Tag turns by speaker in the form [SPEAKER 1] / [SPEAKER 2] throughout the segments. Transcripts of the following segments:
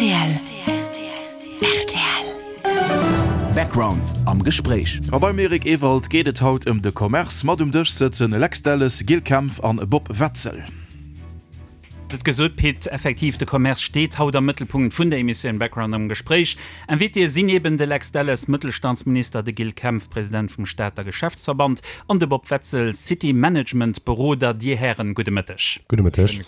[SPEAKER 1] Rtl. Rtl.
[SPEAKER 2] Background am Gespréich.
[SPEAKER 3] A beim Eric Ewald geet et haut ëm de Commerce. Mat um Dësch sëtzen Lex Delles, Gilles Kempf an Bob Wetzel.
[SPEAKER 4] Et gesot, Pit, effektiv, de Commerce steet haut am Mëttelpunkt vun der Emissioun Background am Gespréich. Invitéë sinn eben de Lex Delles, Mëttelstandsminister, de Gilles Kempf, President vum Stater Geschäftsverband, an de Bob Wetzel, City Management Beroder. Dir Hären, gudde Mëtteg.
[SPEAKER 5] Gudde Mëtteg.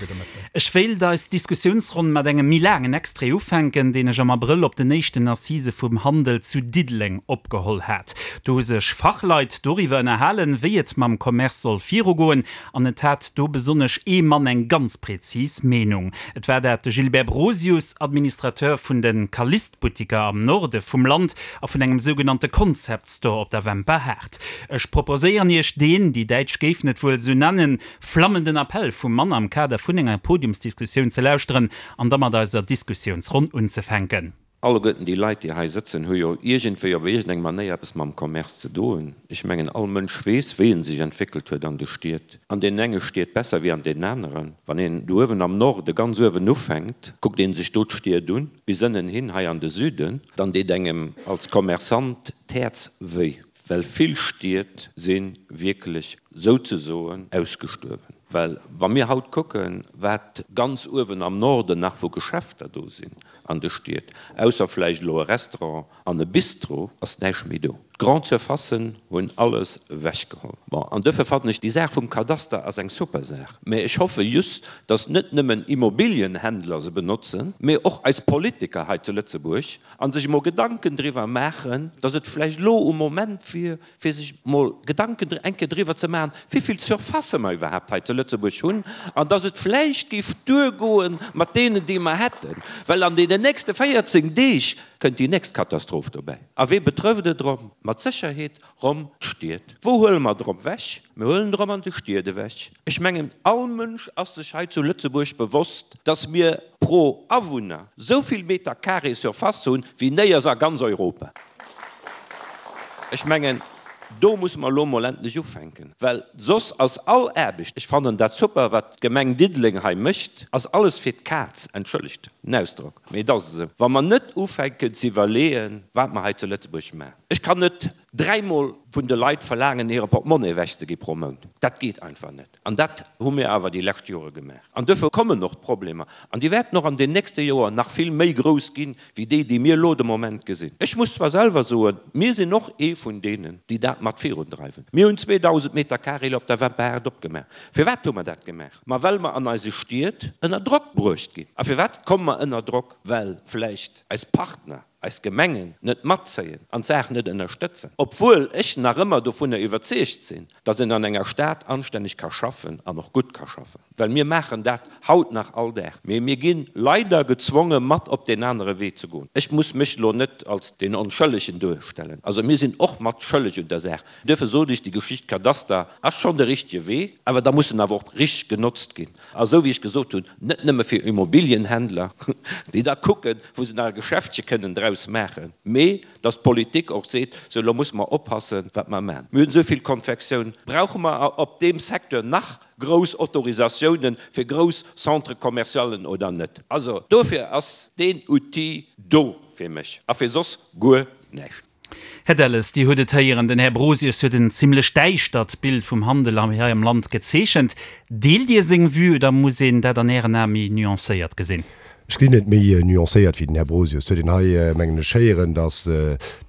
[SPEAKER 4] Ech wéilt eis Diskussiounsronn mat engem méi laangen Extrait ufänken, deen ech am Abrëll op den éischten Assisë vum Handel zu Diddeleng opgeholl hat. Do hu sech Fachleit doriwwer ënnerhalen, wéi et mam Commerce soll virugoen An et hat do besonnesch ee Mann eng ganz prezis Meenung. Et war dat de Gilbert Brosius, Administrateur vun de Calliste-Buttiker am Norde vum Land a vun engem sougenannte Concept Store op der Wemper Haard. Ech proposéieren Iech deen, déi Däitsch géifen et wuel sou nennen, flammenden Appell vum Mann am Kader vun enger Podiumsdiskussioun ze lauschteren an da mat eiser Diskussiounsronn unzefänken.
[SPEAKER 6] Alleguerten déi Leit, déi hei sëtzen, hu jo iergendwéi op iergendeng Manéier eppes mam Commerce ze doen. Ech mengen, all Mënsch weess, wéi en sech entwéckelt huet an de Stied. An deenen enge Stied besser wéi an deenen aneren. Wann een do uewen am Norde ganz uewen ufänkt, kuckt ee sech do d'Stied un, bis ënnen hin hei an de Süden, dann deet engem als Commerçant d'Häerz wéi, well vill Stied si wierklech souzesoen ausgestuerwen. Well wa mir haut kucken, wat ganz uewen am Norden nach vu Geschäfter do sinn, An de Stied, ausser vläicht elo e Restaurant an e Bistro, ass näischt méi do. D'Grande Surfacen hunn alles ewechgeholl. Bon, an duerfir fannen ech, déi Saach vum Kadaster ass eng super Saach. Mä ech hoffe just, datt net nëmmen Immobilienhändler se benotzen, mä och eis Politiker hei zu Lëtzebuerg a sech emol Gedanken driwwer maachen, datt et vläicht elo um Moment wier, fir sech mol Gedanken eng Kéier driwwer ze maachen, wéivill Surfacë mer iwwerhaapt hei zu Lëtzebuerg hunn an dass et vläicht géif duergoe mat deenen, déi mer hätten, well an deenen nächste 14 Deeg kënnt déi nächst Katastroph dobäi. A wee betrëfft et erëm? Mat Sécherheet erëm d'Stied. Wou huele mer et erëm ewech? Mir huelen et erëm an de Stied ewech. Ech mengen, all Mënsch ass sech hei zu Lëtzebuerg bewosst, dass mir pro Awunner esou vill Meter carré Surface hunn, wéi néiers a ganz Europa. Ech mengen, do musse mer elo emol endlech ufänken, well soss ass all Aarbecht, ech fannen dat super, wat d'Gemeng Diddeleng hei mécht, ass alles fir d'Kaz, entschëllegt den Ausdrock, mee et ass esou, wa mer net ufänken ze iwwerleeën, wat mer hei zu Lëtzebuerg maachen. Ech kann net dräimol vun de Leit verlaangen, hire Portemonnaie ewechzegi pro Mount. Dat geet einfach net. An dat hu mir awer déi lescht Jore gemaach. An duerfir kommen och d'Problemer. An déi wäerten och an den nächste Joer nach vill méi grouss ginn, wéi déi, déi mir elo de Moment gesinn. Ech muss zwar selwer soen, mir sinn och ee vun deenen, déi dat mat virundreiwen. Mir hunn 2.000 Meter carré op der Wemperhaart opgemaach. Firwat hu mer dat gemaach? Ma well mer an eise Stied ënner Drock bruecht ginn. A firwat komme mer ënner Drock? Well vläicht eis Partner, eis Gemengen net matzéien an d'Saach net ënnerstëtzen, obwuel ech nach ëmmer dovunner iwwerzeegt sinn, datt een an enger Stad anstänneg ka schaffen an och gutt ka schaffen, well mir maachen dat haut nach all Dag, mee mir gi leider gezwonge mat op deen anere Wee ze goen. Ech muss mech elo net als deen Onschëllegen duerstellen, also mir sinn och mat schëlleg un der Saach. Duerfir sot ech, déi Geschicht Kadaster ass schonn de richtege Wee, awer da muss en awer och richteg genotzt ginn. A sou wéi ech gesot hunn, net nëmme fir Immobilienhändler, déi da kucken, wou se nach e Geschäftche kënnen draus maachen, mee datt d'Politik och seet, sou elo musse mer oppassen, wat mer maachen. Mir hunn esou vill Konfektioun, brauche mer op deem Secteur nach grouss Autorisatiounen fir grouss Centre-commercialen oder net? Also dofir ass deen Outil do fir mech a fir soss guer näischt.
[SPEAKER 4] Här Delles, Dir hutt et héieren, den Här Brosius huet en zimlech däischtert Bild vum Handel hei am Land gezeechent. Deelt Dir seng Vue oder muss een dat an Ären Ae méi nuancéiert gesinn?
[SPEAKER 5] Ech gesinn et méi nuancéiert wéi den Här Brosius. Et huet een hei, mengen ech, héieren, datt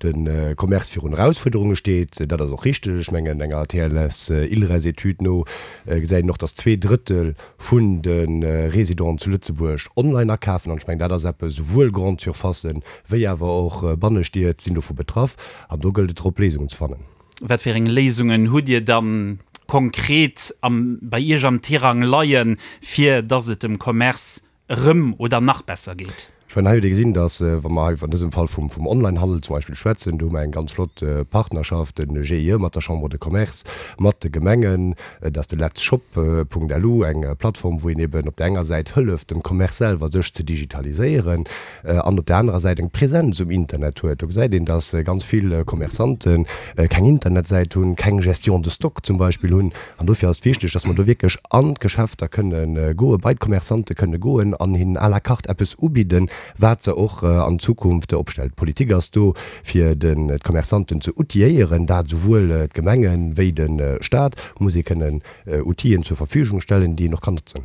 [SPEAKER 5] de Commerce virun Erausfuerderunge steet. Dat ass och richteg. Ech mengen, enger TLS-ILReS-Etüd no gesäit een och, datt zweedrëttel vun de Résidenten zu Lëtzebuerg online akafen. An ech mengen, dat ass eppes, souwuel Grande Surfacen wéi awer och Bannestied sinn dovu betraff. An do gëllt et drop, Léisungen ze fannen.
[SPEAKER 4] Wat fir eng Léisungen hutt Dir dann konkret am, bei Iech am Tirang leien, fir dass et dem Commerce erëm oder nach besser geet?
[SPEAKER 5] Ech mengen, hei huet ee gesinn, dass, wa mer hei an dësem Fall vum Onlinehandel zum Beispill schwätzen, do hu mer eng ganz flott Partnerschaft, de GIE mat der Chambre de Commerce, mat de Gemengen, et ass de letzshop.lu, eng Plattform, wou een eben op där enger Säit hëlleft dem Commerce selwer sech ze digitaliséieren an op där anerer Säit eng Präsenz um Internet huet. Do gesäit een, dass ganz vill Commerçanten keng Internetsäit hunn, keng Gestion de stock zum Beispill hunn. An dofir ass et wichteg, dass mer do wierklech an d'Geschäfter kënne goen, bei d'Commerçante kënne goen an hinnen à la carte eppes ubidden. wat se och an Zukunft opstellt. D'Politik ass do, fir d'Commerçanten ze outilléieren, dat esouwuel d'Gemenge wéi de Stat muss ee kënnen Outiller zur Verfügung stellen, déi een och kann notzen.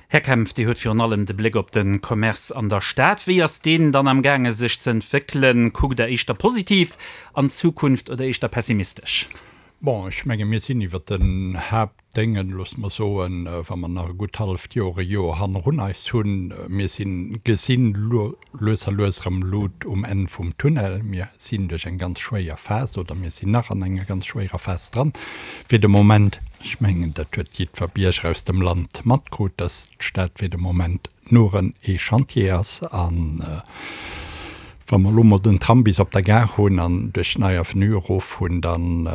[SPEAKER 4] Här Kempf, Dir hutt virun allem de Bléck op de Commerce an der Stad. Wéi ass deen dann am gaange sech ze entwéckelen? Kuckt Der éischter positiv an d'Zukunft oder éischter pessimistesch?
[SPEAKER 7] Bon, ech menge mir sinn iwwert den Haaptdéngen, loosse mer soen, wa mer nach e gutt halleft Joer, e Joer hannerun eis hunn. Mir sinn, gesinn lues a lues erëm Lut um Enn vum Tunnel. Mir sinn duerch eng ganz schwéier Phas, oder mir sinn nach an enger ganz schwéierer Phas dran fir de Moment. Ech mengen, dat huet jiddwer Bierger aus dem Land matkrut, dass d'Stad fir de Moment nuren ee Chantier ass. A wa mer elo mol den Tram bis op der Gare hunn an duerch d'Nei Avenue erof hunn, dann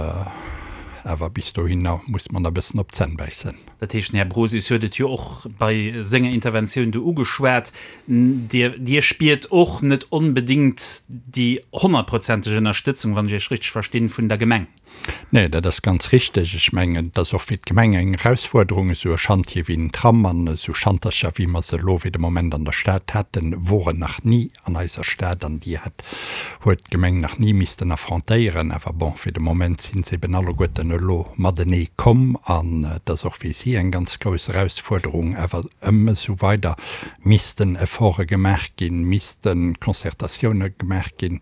[SPEAKER 7] awer bis dohinner muss mer nach e bëssen op d'Zänn bäissen.
[SPEAKER 4] Dat heescht, den Här Brosius huet et jo och bei senger Interventioun do ugeschwat, Dir, Dir spiert och net onbedéngt déi honnertprozenteg Ënnerstëtzung, wann ech Iech richteg verstinn, vun der Gemeng.
[SPEAKER 7] Nee, dat ass ganz richteg. Ech mengen, et ass och fir d'Gemeng eng Erausfuerderung, esou e Schantje wéi den Tram an esou Schantercher, wéi mer se elo fir de Moment an der Stad haten, woren nach ni an eiser Stad an déi hat, huet d'Gemeng nach ni missten affrontéieren. Awer bon, fir de Moment si se eben alleguerten elo matenee komm an et ass och fir si eng ganz grouss Erausfuerderung. Awer ëm esou weider missten Efforte gemaach ginn, misste Concertatioune gemaach ginn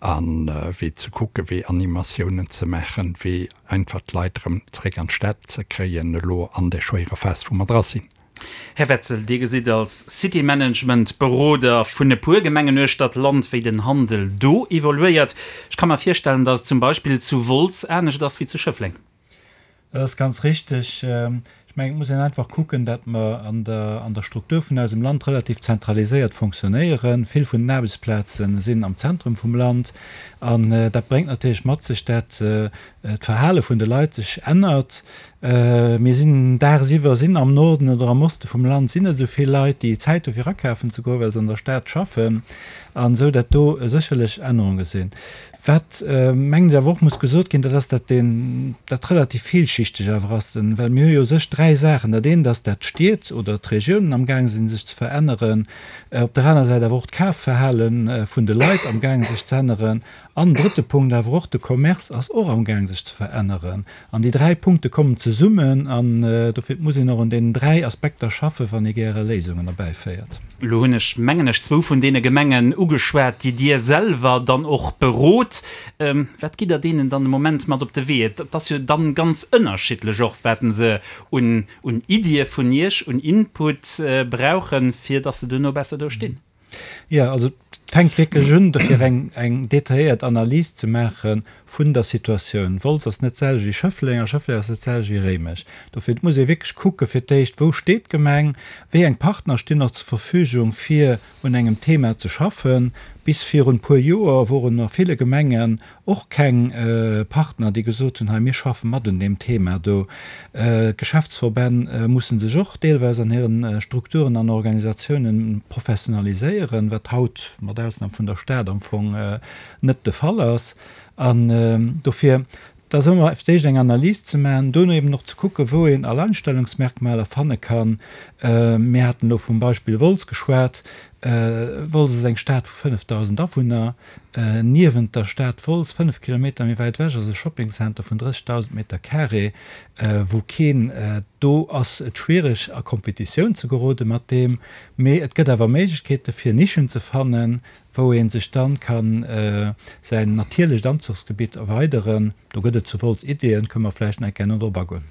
[SPEAKER 7] a wéi ze kucken, wéi Animatiounen ze maachen, wéi einfach d'Leit erëm zréck an d'Stad ze kréien elo an där schwéierer Phas, wou mer dra sinn.
[SPEAKER 4] Här Wetzel, Dir gesitt als City Management Beroder vun e puer Gemengen uechter d'Land, wéi den Handel do evoluéiert. Ech ka mer virstellen, datt et zum Beispill zu Wolz anescht ass wéi zu Schëffleng.
[SPEAKER 8] Dat ass ganz richtig. Ech mengen, et muss een einfach kucken, datt mer an der, an der Struktur vun eisem Land relativ zentraliséiert fonctionnéieren. Vill vun den Aarbechtsplaze sinn am Zentrum vum Land. An dat bréngt natierlech mat sech, dat d'Verhale vun de Leit sech ännert. Mir sinn dagsiwwer sinn am Norden oder am Oste vum Land sinn net esou vill Leit, déi Zäit hu fir akafen ze goen, well se an der Stad schaffen an esou, dat do sécherlech Ännerunge sinn. Wat, mengen ech, awer och muss gesot ginn, dat ass, dat deen, dat relativ villschichteg awer ass, well mir hu jo u sech dräi Saachen. Dat eent ass, dat d'Stied oder d'Regiounen amgaang sinn sech ze veränneren, op der aner Säit awer och d'Kafverhale vun de Leit amgaang sech ze änneren an, drëtte Punkt, awer och de Commerce ass och amgaang sech ze veränneren. An déi dräi Punkte kommen zesummen an dofir muss een och un deenen dräi Aspekter schaffen, wann ee gäre Léisungen erbäiféiert.
[SPEAKER 4] Elo hunn ech, mengen ech, zwou vun deene Gemengen ugeschwat, déi Dir selwer dann och berot. Wat gitt Der deenen dann de Moment mat op de Wee? Et ass jo dann ganz ënnerschiddlech och, wat se un Iddie vun Iech, un Input brauchen, fir datt se duerno besser do stinn.
[SPEAKER 8] Jo, also et fänkt wierklech un, dofir eng, eng detailléiert Analys ze maache vun der Situatioun. Wolz ass net d'selwecht wéi Schëffleng a Schëffleng ass net d'selwecht wéi Réimech. Dofir, et muss ee wierklech kucke fir d'éischt, wou steet d'Gemeng, wéi eng Partner stinn och zur Verfügung, fir un engem Thema ze schaffen. Bis virun e puer Joer woren a ville Gemengen Och keng Partner, déi gesot hunn, hei mir schaffe mat un deem Thema do. D'Geschäftsverbänn musse sech och deelweis an hiren Strukturen an Organisatiounen professionaliséieren, wat haut, mat Ausnam vun der Stad, am Fong net de Fall ass. An dofir, et ass ëmmer fir d'éischt eng Analys ze maachen, duerno eben och ze kucken, wou een Alleinstellungsmerkmaler fanne kann. Mir haten elo vum Beispill Wolz geschwat. Wolz ass eng Stad vu 5.000 Awunner. Niewent der Stad Wolz, 5 Kilometer méi wäit ewech, ass e Shoppingcenter vun 30.000 Meter carré, wou keen. Do ass et schwiereg a Kompetitioun ze gerode mat deem, mee et gëtt awer Méiglechkeete fir Nischen ze fannen, wou ee sech dann ka säin natierlecht Anzuchsgebitt erweideren. Do gëtt et zu Wolz Ideeën, kënne mer vläicht nach eng Kéier no drop agoen.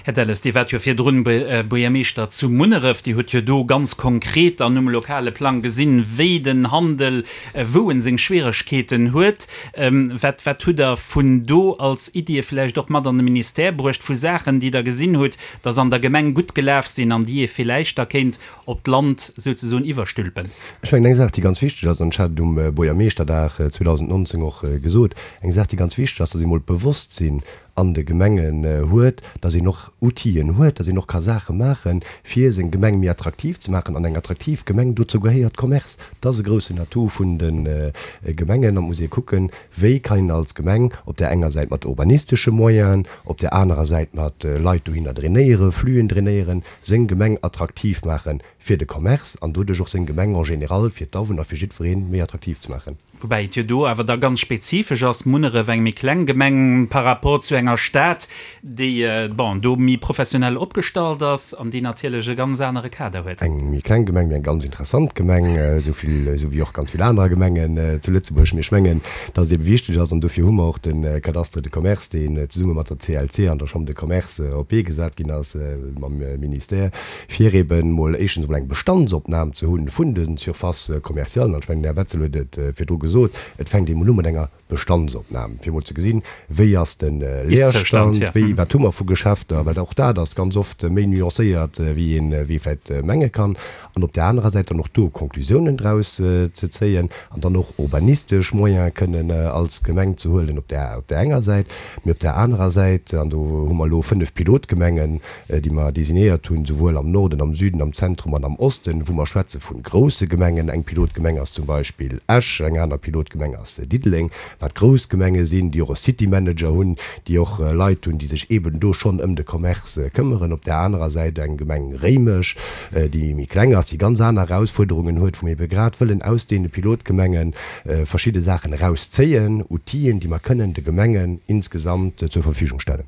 [SPEAKER 4] Här Delles, Dir waart jo virdrun Buergermeeschter zu Munneref. Dir hutt jo do ganz konkret an um lokale Plang gesinn, wéi den Handel, wou en seng Schwieregkeeten huet. Wat, wat hutt Der vun do als Iddie vläicht och mat an de Ministère bruecht, vu Saachen, déi Der gesinn hutt, dass an der Gemeng gutt gelaf sinn an déi ee villäicht da kéint op d'Land souzesoen iwwerstülpen?
[SPEAKER 5] Ech mengen, eng Saach, déi ganz wichteg ass, an ech hat et um Buergermeeschterdag 2019 och gesot, eng Saach, déi ganz wichteg ass, dass ee mol d'Bewosstsinn. an de Gemengen huet, datt een och Outill'en huet, datt een och ka Saache maachen, fir seng Gemeng méi attraktiv ze maachen. An eng attraktiv Gemeng, dozou gehéiert Commerce. Dat ass e groussen Atout vun de Gemengen. An et muss ee kucken, wéi kann een als Gemeng op där enger Säit mat urbanistesche Moyenen, op där anerer Säit mat Leit dohinner drainéieren, Fluen drainéieren, seng Gemeng attraktiv maachen fir de Commerce an doduerch och seng Gemeng en général fir d'Awunner, fir jiddweree méi attraktiv ze maachen.
[SPEAKER 4] Woubäi et jo do awer da ganz spezifesch ass, Munneref eng méi kleng Gemeng par rapport zu enger Stad, déi, bon, do méi professionell opgestallt ass an déi natierlech e ganz anere Kader huet.
[SPEAKER 5] Eng méi kleng Gemeng, mee eng ganz interessant Gemeng, esou vill, esou wéi och ganz vill anerer Gemengen zu Lëtzebuerg. Mee ech mengen, dass et ebe wichteg ass, an dofir hu mer och de Cadastre de Commerce, deen zesumme mat der CLC an der Chambre de Commerce op d'Bee gesat ginn ass mam Ministère, fir eben emol éischtens emol eng Bestandsopnam ze hunn vun de Surfaces commerciales, an ech mengen, den Här Wetzel huet et virdru gesot, et fänkt emol u mat enger Bestandsopnam, fir emol ze gesinn, wéi ass de Leerstand, wéi, wat hu mer vu Geschäfter, well och dat ass ganz oft méi nuancéiert, wéi een, wéi ee vläicht menge kann, an op där anerer Säit dann och do Konklusiounen draus ze zéien an dann och urbanistesch Moyene kënnen als Gemeng ze huelen op där, op där enger Säit, mee op där anerer Säit, an do hu mer elo 5 Pilotgemengen, déi mer designéiert hunn, souwuel am Norden, am Süden, am Zentrum an am Osten, wou mer schwätze vu grousse Gemengen. Eng Pilotgemeng ass zum Beispill Esch, eng aner Pilotgemeng ass Diddeleng, wat grouss Gemenge sinn, déi och e City Manager hunn, déi och Leit hunn, déi sech eeben do schonn ëm de Commerce këmmeren. Op där anerer Säit eng Gemeng Réimech, déi méi kleng ass, déi ganz aner Erausfuerderungen huet, wou mir ebe grad wëllen aus deene Pilotgemenge verschidde Saachen erauszéien, Outill'en, déi mer kënnen de Gemengen insgesamt zur Verfügung stellen.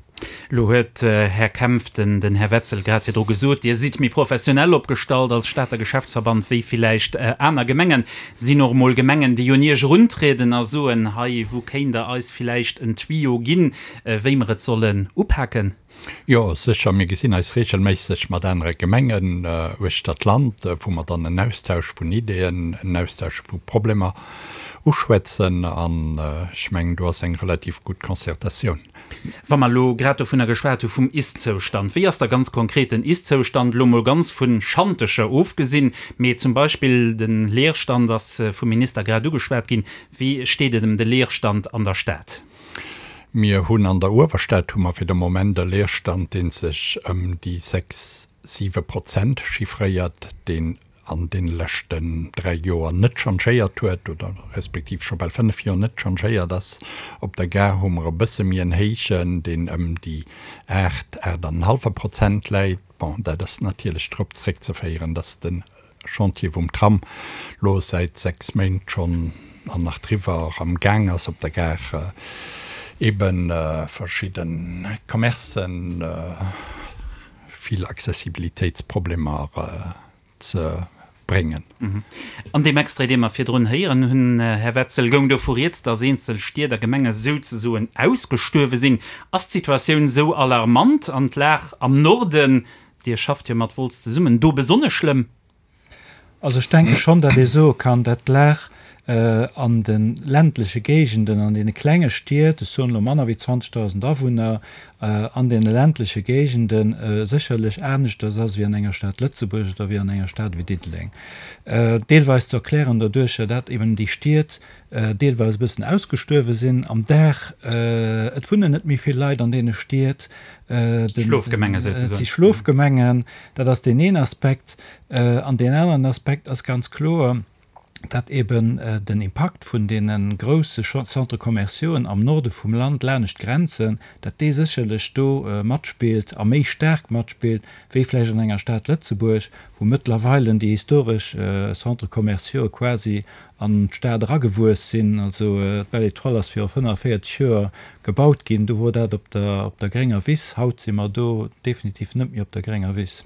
[SPEAKER 4] Elo huet, Här Kempf, den Här Wetzel grad virdru gesot, Dir sidd méi professionell opgestallt als Stater Geschäftsverband wéi villäicht aner Gemengen. Sinn och emol Gemengen, déi un Iech eruntrieden a soen, hei, wou kéint Der eis villäicht en Tuyau ginn, wéi mer et sollen upaken?
[SPEAKER 7] Jo, sécher. Mir gesinn eis regelméisseg mat anere Gemengen uechter d'Land, wou mer dann en Austausch vun Ideeën, en Austausch vu Problemer uschwätzen. An ech mengen, do ass eng relativ gutt Concertatioun.
[SPEAKER 4] Wa mer elo grad dovunner geschwat hu vum Ist-Zoustand, wéi ass da ganz konkret den Ist-Zoustand, elo mol ganz vu Schantecher ofgesinn, mee zum Beispill de Leerstand ass vum Minister grad ugeschwat ginn, wéi steet et ëm de Leerstand an der Stad?
[SPEAKER 7] Mir hunn an der Uewerstad hu mer fir de Moment e Leerstand, dee sech ëm déi 6, 7 Prozent chiffréiert, deen an deene leschten 3 Joer net changéiert huet oder respektiv scho bal 5 Joer net changéiert ass. Op der Gare hu mer e bësse méi en héijen, deen ëm déi 8, 8 an en hallfe Prozent läit. Bon, dat ass natierlech drop zréckzeféieren, dass de Chantier vum Tram lo säit 6 Méint schonn an nach driwwer am Gaang ass op der Gare, ebe verschidde Commercen vill Accessibilitéitsproblemer ze bréngen.
[SPEAKER 4] An deem Extrait, dee mer virdrun héieren hunn, Här Wetzel, goung dovu rieds, datt eenzel Stied a Gemenge souzesoen ausgestuerwe sinn. Ass d'Situatioun esou alarmant an d'Lag am Norden, Dir schafft jo mat Wolz zesummen, do besonnesch schlëmm?
[SPEAKER 8] Also ech denke schonn, datt ee soe kann, datt d'Lag an de ländleche Géigenden, an deene klenge Stied, ech soen elo manner wéi 20.000 Awunner, an deene ländleche Géigende sécherlech aneschters ass wéi an enger Stad Lëtzebuerg oder wéi an enger Stad wéi Diddeleng. Deelweis ze erklären doduercher, dat eben déi Stied deelweis e bëssen ausgestuerwe sinn am Dag. Et wunnen net méi vill Leit an deene Stied.
[SPEAKER 4] Schlofgemenge souzesoen.
[SPEAKER 8] Et si Schlofgemengen. Dat ass deen een Aspekt. An deen aneren Aspekt ass ganz kloer, dat eben den Impakt vun deene grousse Centres commerciauxen am Norde vum Land laanescht d'Grenzen, dat dee sécherlech do matspillt a méi staark matspillt wéi vläicht an enger Stad Lëtzebuerg, wou mëttlerweile déi historesch Centres commerciauxë quasi an d'Stad eragewuess sinn. Also d'Belle Étoile ass viru 45 Joer gebaut ginn, do wor dat op der op der grénger Wiss. Haut si mer do definitiv net méi op der grénger Wiss.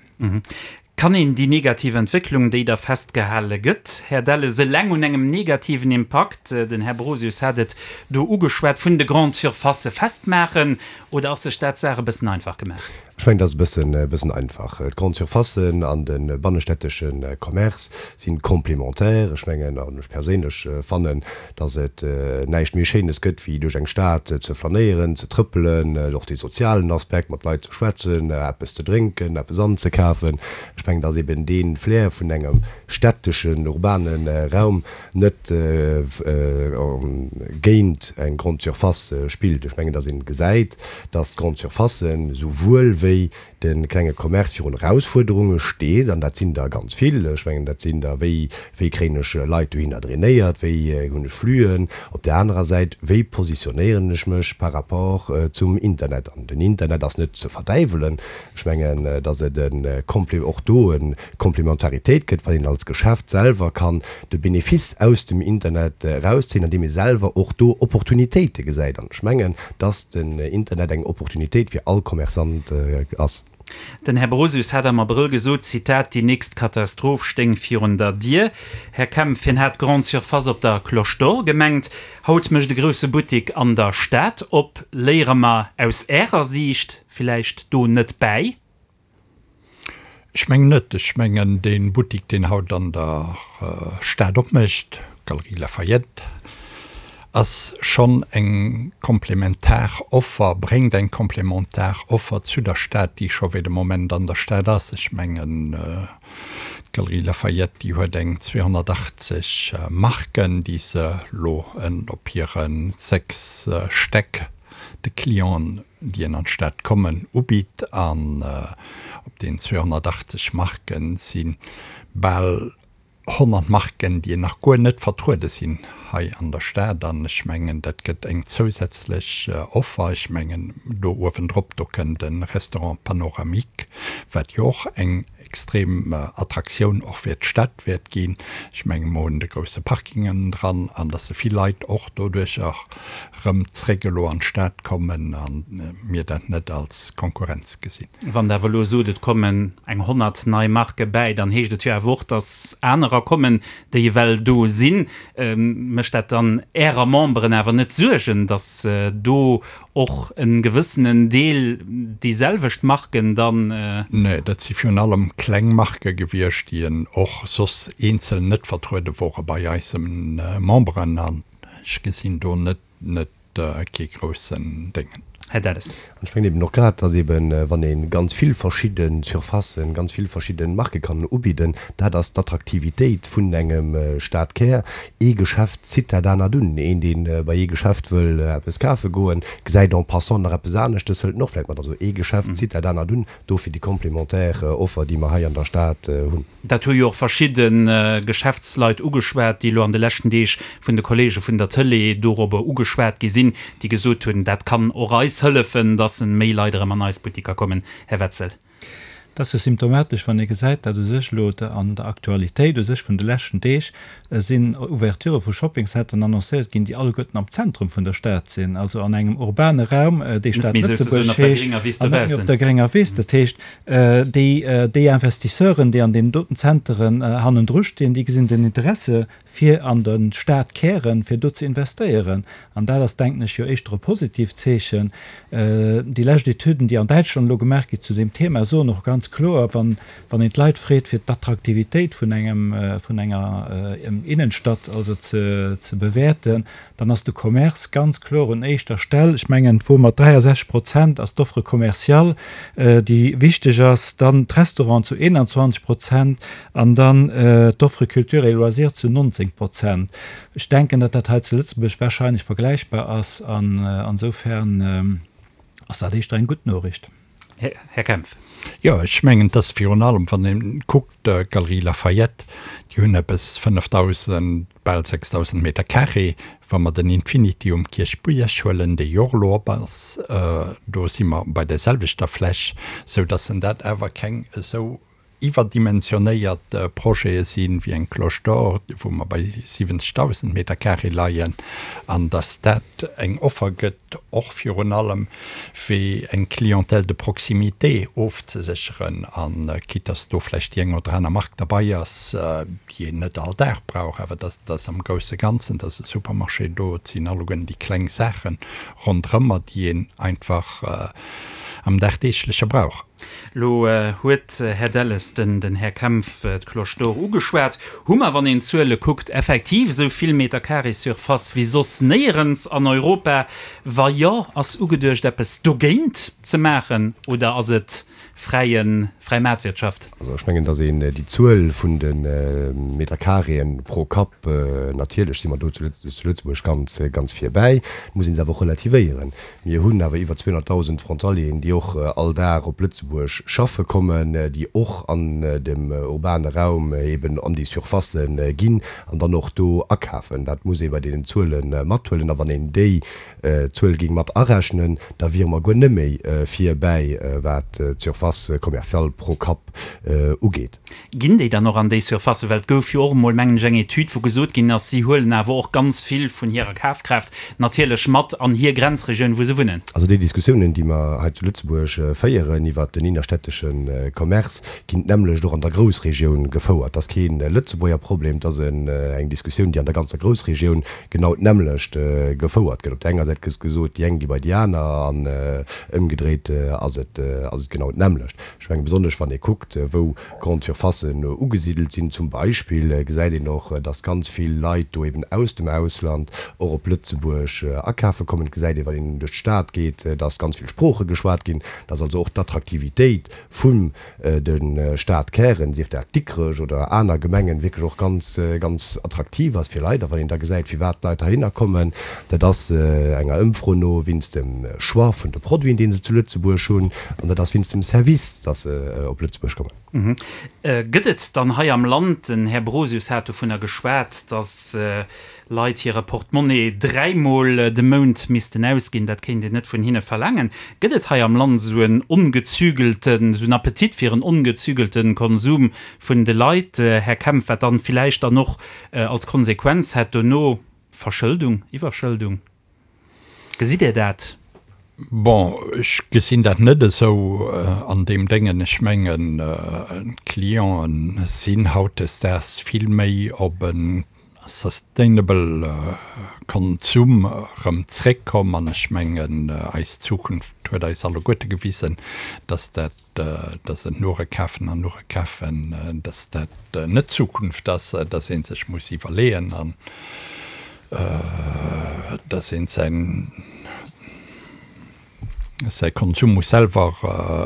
[SPEAKER 4] Kann een déi negativ Entwécklung, déi da festgehale gëtt, Här Delles, eleng un engem negativen Impakt, den Här Brosius hat et do ugeschwat, vun de Grandes Surfacë festmaachen, oder ass sech dat d'Saach e bëssen einfach gemaach?
[SPEAKER 5] Ech mengen, dat ass e bëssen, e bëssen einfach. D'Grandes Surfacen an de bannestättesche Commerce si complémentaire. Ech mengen, an ech perséinlech fannen, dass et näischt méi Schéines gëtt, wéi duerch eng Stad ze flanéieren, ze trëppelen, och dee sozialen Aspekt, mat Leit ze schwätzen, eppes ze drénken, eppes anzekafen. Ech mengen. mengen, dass eben dee Flair vun engem städteschen, urbane Raum net géint eng Grande Surface spillt. Ech mengen, dass ee gesäit, dass d'Grande Surfacen souwuel wéi de klenge Commerce virun Erausfuerderunge steet, an dat sinn der ganz vill. Ech mengen, dat sinn der, wéi, wéi kréien ech Leit dohinner drainéiert, wéi hunn ech Fluen? Op där anerer Säit, wéi positionéieren ech mech par rapport zum Internet? An den Internet ass net ze verdäiwelen. Ech mengen, datt et e Komple, och do e Komplementaritéit gëtt, wann een als Geschäft selwer kann de Benefice aus dem Internet erauszéien, andeem ee selwer och do Opportunitéite gesäit. An ech mengen, dass den Internet eng Opportunitéit fir all Commerçant ass.
[SPEAKER 4] Den Här Brosius hat am Abrëll gesot, Zitat, déi nächst Katastroph stéing virun der Dier. Här Kempf, hien hat d'Grande Surface op der Cloche d'Or gemengt. Haut mécht e grousse Buttik an der Stad op. Léiere mer aus Ärer Siicht villäicht do net bäi?
[SPEAKER 7] Ech mengen net. Ech mengen, dee Buttik, deen haut an der Stad opmécht, Galeries Lafayette, ass schonn eng komplementar Offer, bréngt eng komplementar Offer zu der Stad, déi scho wéi de Moment an der Stad ass. Ech mengen, d'Galeries Lafayette, déi huet eng 280 Marken, déi se elo op hire 6 Stäck de Clienten, déi an d'Stad kommen, ubitt. An op deenen 280 Marken si bal 100 Marken, déi nach guer net vertruede sinn hei an der Stad. An ech mengen, dat gëtt eng zousätzlech Offer. Ech mengen, do uewendrop, do kënnt e Restaurant panoramique, wat jo och eng extrem Attraktioun och fir d'Stad wäert ginn. Ech menge mer hunn de grousse Parking ënnendran an dass se vill Leit och doduercher rëm zréck elo an d'Stad kommen a mir dat net als Konkurrenz gesinn.
[SPEAKER 4] Wann Der awer elo sot, et kommen eng 100 nei Marke bäi, dann heescht et jo awer och, dass anerer kommen, déi ewell do sinn. Mécht dat dann Ärer Memberen awer net Suergen, dass do och e gewëssenen Deel déi selwecht Marken dann.
[SPEAKER 7] Nee, dat si virun allem kleng Marke gewiescht, déi en och soss eenzel net vertruede wore bei eise Memberen. An ech gesinn do net, net kee groussen Déngen.
[SPEAKER 4] Här Delles.
[SPEAKER 5] An ech mengen eben och grad, dass eben, wann ee ganz vill verschidde Surfacen, ganz vill verschidde Marke kann ubidden, dat ass d'Attraktivitéit vun engem Stadkär. Ee Geschäft zitt dat anert un. Een, dee bei ee Geschäft wëll eppes kafe goen, gesäit en passant nach eppes aneschtes, hëlt en och vläicht mat. Also ee Geschäft zitt dat anert un. Dofir déi complémentaire Offer, déi mer hei an der Stad hunn.
[SPEAKER 4] Dat hu jo och verschidde Geschäftsleit ugeschwat, déi elo an de leschten Deeg vun de Kollege vun der Tëlee dorobber ugeschwat gi sinn, déi gesot hunn, dat kann och eis hëllefen, dass méi Leit erëm an eis Buttiker kommen. Här Wetzel.
[SPEAKER 8] Et ass jo symptomatesch, wann ee gesäit, datt u sech elo an der Aktualitéit u sech vun de leschten Deeg sinn Ouverturë vu Shoppingcenteren annoncéiert ginn, déi alleguerten am Zentrum vun der Stad sinn, also an engem urbane Raum, dee Stad Lëtzebuerg heescht, an net méi op der grénger Wiss. Dat heescht, déi, déi Investisseuren, déi an deenen doten Zenteren hannendru stinn, déi gesinn den Interesse fir an de Stadkären, fir do ze investéieren. An dat ass, denken ech, jo éischter e positiivt Zeechen. Déi lescht Etüden, déi an Däitschland elo gemaach gi zu deem Thema, soen och ganz kloer, wann, wann een d'Leit freet, fir d'Attraktivitéit vun engem, vun enger Innenstadt also ze, ze bewäerten, dann ass de Commerce ganz kloer un éischter Stell. Ech mengen, et wor mat 63 Prozent ass d'Offre commerciale, déi wichteg ass, dann d'Restauranten zu 21 Prozent an dann d'Offre Culture et loisirs zu 19 Prozent. Ech denken, datt dat hei zu Lëtzebuerg wahrscheinlech vergläichbar ass an insofern ass dat éischter eng gutt Noriicht.
[SPEAKER 4] Här Kempf.
[SPEAKER 7] Jo, ech mengen, et ass virun allem, wann ee kuckt, d'Galeries Lafayette, déi hunn eppes 5.000, bal 6.000 Meter carré. Wa mer den Infinity um Kierchbierg huelen, dee jo och elo op ass, do si mer bei där selwechter Fläch, soudass en dat awer keng esou iwwerdimensionéiert Projete sinn, wéi eng Cloche d'Or, wou mer bei 70.000 Meter carré leien, an dass dat eng Offer gëtt, och virun allem fir eng Clientèle de proximité ofzesécheren, a quitte dass do vläicht déi eng oder aner Mark derbei ass, déi een net all Dag brauch, awer dass dass am grousse Ganzen, dass e Supermarché do, et sinn alleguerten déi kleng Saache ronderëmmer, déi een einfach. am dagdeegleche Brauch.
[SPEAKER 4] Elo huet, Här Delles, den Här Kempf d'Cloche d'Or ugeschwat. Hu mer, wann een d'Zuele kuckt, effektiv esou vill Meter carré Surface wéi soss néierens an Europa? Wa jo, ass ugeduecht eppes dogéint ze maachen oder ass et fräien, fräi Maartwirtschaft?
[SPEAKER 5] Also ech mengen, datt een déi Zuel vun de Meter carréen pro Kapp, natierlech si mer do zu Lëtzebuerg ganz, ganz virbäi, muss een se awer och relativéieren. Mir hunn awer iwwer 200.000 Frontalieren, déi och all Dag op Lëtzebuerg schaffe kommen, déi och an dem urbane Raum eben an déi Surfacë ginn an dann och do akafen. Dat muss ee bei deenen Zuele mathuelen. A wann een déi Zuel géing mat arechnen, da wiere mer guer net méi virbäi, wat d'Surface commerciale pro Kapp ugeet.
[SPEAKER 4] Ginn déi dann och an déi Surfacen? Well et gouf jo och emol, mengen ech, eng Etüd, wou gesot ginn ass, si huelen awer och ganz vill vun hirer Kafkraaft natierlech mat an hir Grenzregioun, wou se wunnen.
[SPEAKER 5] Also déi Diskussiounen, déi mer hei zu Lëtzebuerg féieren iwwert den innerstädtesche Commerce, ginn d'nämmlecht och an der Groussregioun gefouert. Dat ass kee Lëtzebuerger Problem, dat ass eng Diskussioun, déi an der ganzer Groussregioun genau d'nämmlecht gefouert gëtt. Op der enger Säit gëtt gesot, déi eng gi bei déi aner an ëmgedréit ass et genau d'nämmlecht. Ech mengen, besonnesch wann ee kuckt, wou Grande Surfacen ugesidelt sinn zum Beispill, gesäit een och, dass ganz vill Leit do eben aus dem Ausland och op Lëtzebuerg akafe kommen. Et gesäit ee, wann een duerch d'Stad geet, dass ganz vill Sprooche geschwat ginn, dass also och d'Attraktivitéit vun de Stadkären, sief dat Dikrech oder aner Gemengen, wierklech och ganz, ganz attraktiv ass fir Leit. A wann een da gesäit, firwat d'Leit heihinner kommen, dat ass enger Ëmfro no wéinst dem Choix vun de Produiten, dee se zu Lëtzebuerg hunn, an dat ass wéinst dem Service, dass se op Lëtzebuerg kommen.
[SPEAKER 4] Gëtt et dann hei am Land, den Här Brosius hat dovunner geschwat, dass Leit hire Portemonnaie dräimol de Mount missten ausginn, dat kéint een net vun hinne verlaangen. Gëtt et hei am Land esou en ongezügelten, esou en Appetit fir en ongezügelte Konsum vun de Leit, Här Kempf, wat dann villäicht dann och als Konsequenz hätt dono Verschëldung, Iwwerschëldung? Gesitt Dir dat?
[SPEAKER 7] Bon, ech gesinn dat net esou an deem Déngen. Ech mengen, d'Clienten sinn hautdesdaags vill méi op e sustainable Konsum erëm zréckkomm an ech mengen, eis Zukunft huet eis alleguerte gewisen, dass dat, dass et nure kafen an nure kafen, dass dat net d'Zukunft ass, dass ee sech muss iwwerleeën an dass een säin, säi Konsum muss selwer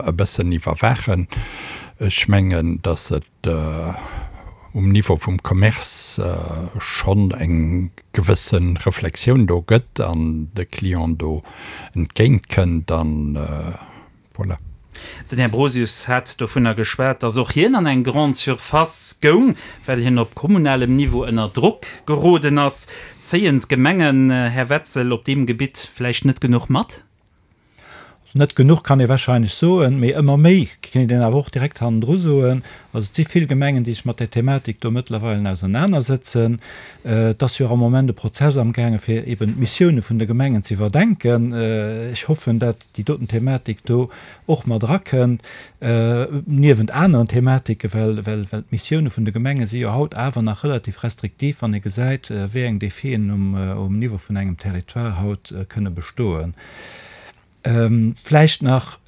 [SPEAKER 7] e bëssen iwwerwaachen. Ech mengen, dass et um Niveau vum Commerce schonn eng gewësse Reflexioun do gëtt an de Client do entgéint kënnt an, Voilà.
[SPEAKER 4] Den Här Brosius hat dovunner geschwat, datt och hien an eng Grande Surface goung, well hien op kommunalem Niveau ënner Drock geroden ass. Zéien d'Gemengen, Här Wetzel, op deem Gebitt vläicht net genuch mat?
[SPEAKER 8] Also net genuch kann ee wahrscheinlech soen, mee ëmmer méi kéint een awer och direkt hannendru soen. Also et si vill Gemengen, déi sech mat där Thematik do mëttlerweilen ausernanersëtzen. Et ass jo och am Moment e Prozess amgaange fir eben d'Missioune vun de Gemengen ze iwwerdenken. Ech hoffen, dat déi doten Thematik do och mat erakënnt, niewent aneren Thematiken, well, well, well d'Missioune vun de Gemenge si jo haut awer nach relativ restriktiv, wann ee gesäit, wéi eng Defien um, um Niveau vun engem Territoire haut kënne bestoen. Vläicht nach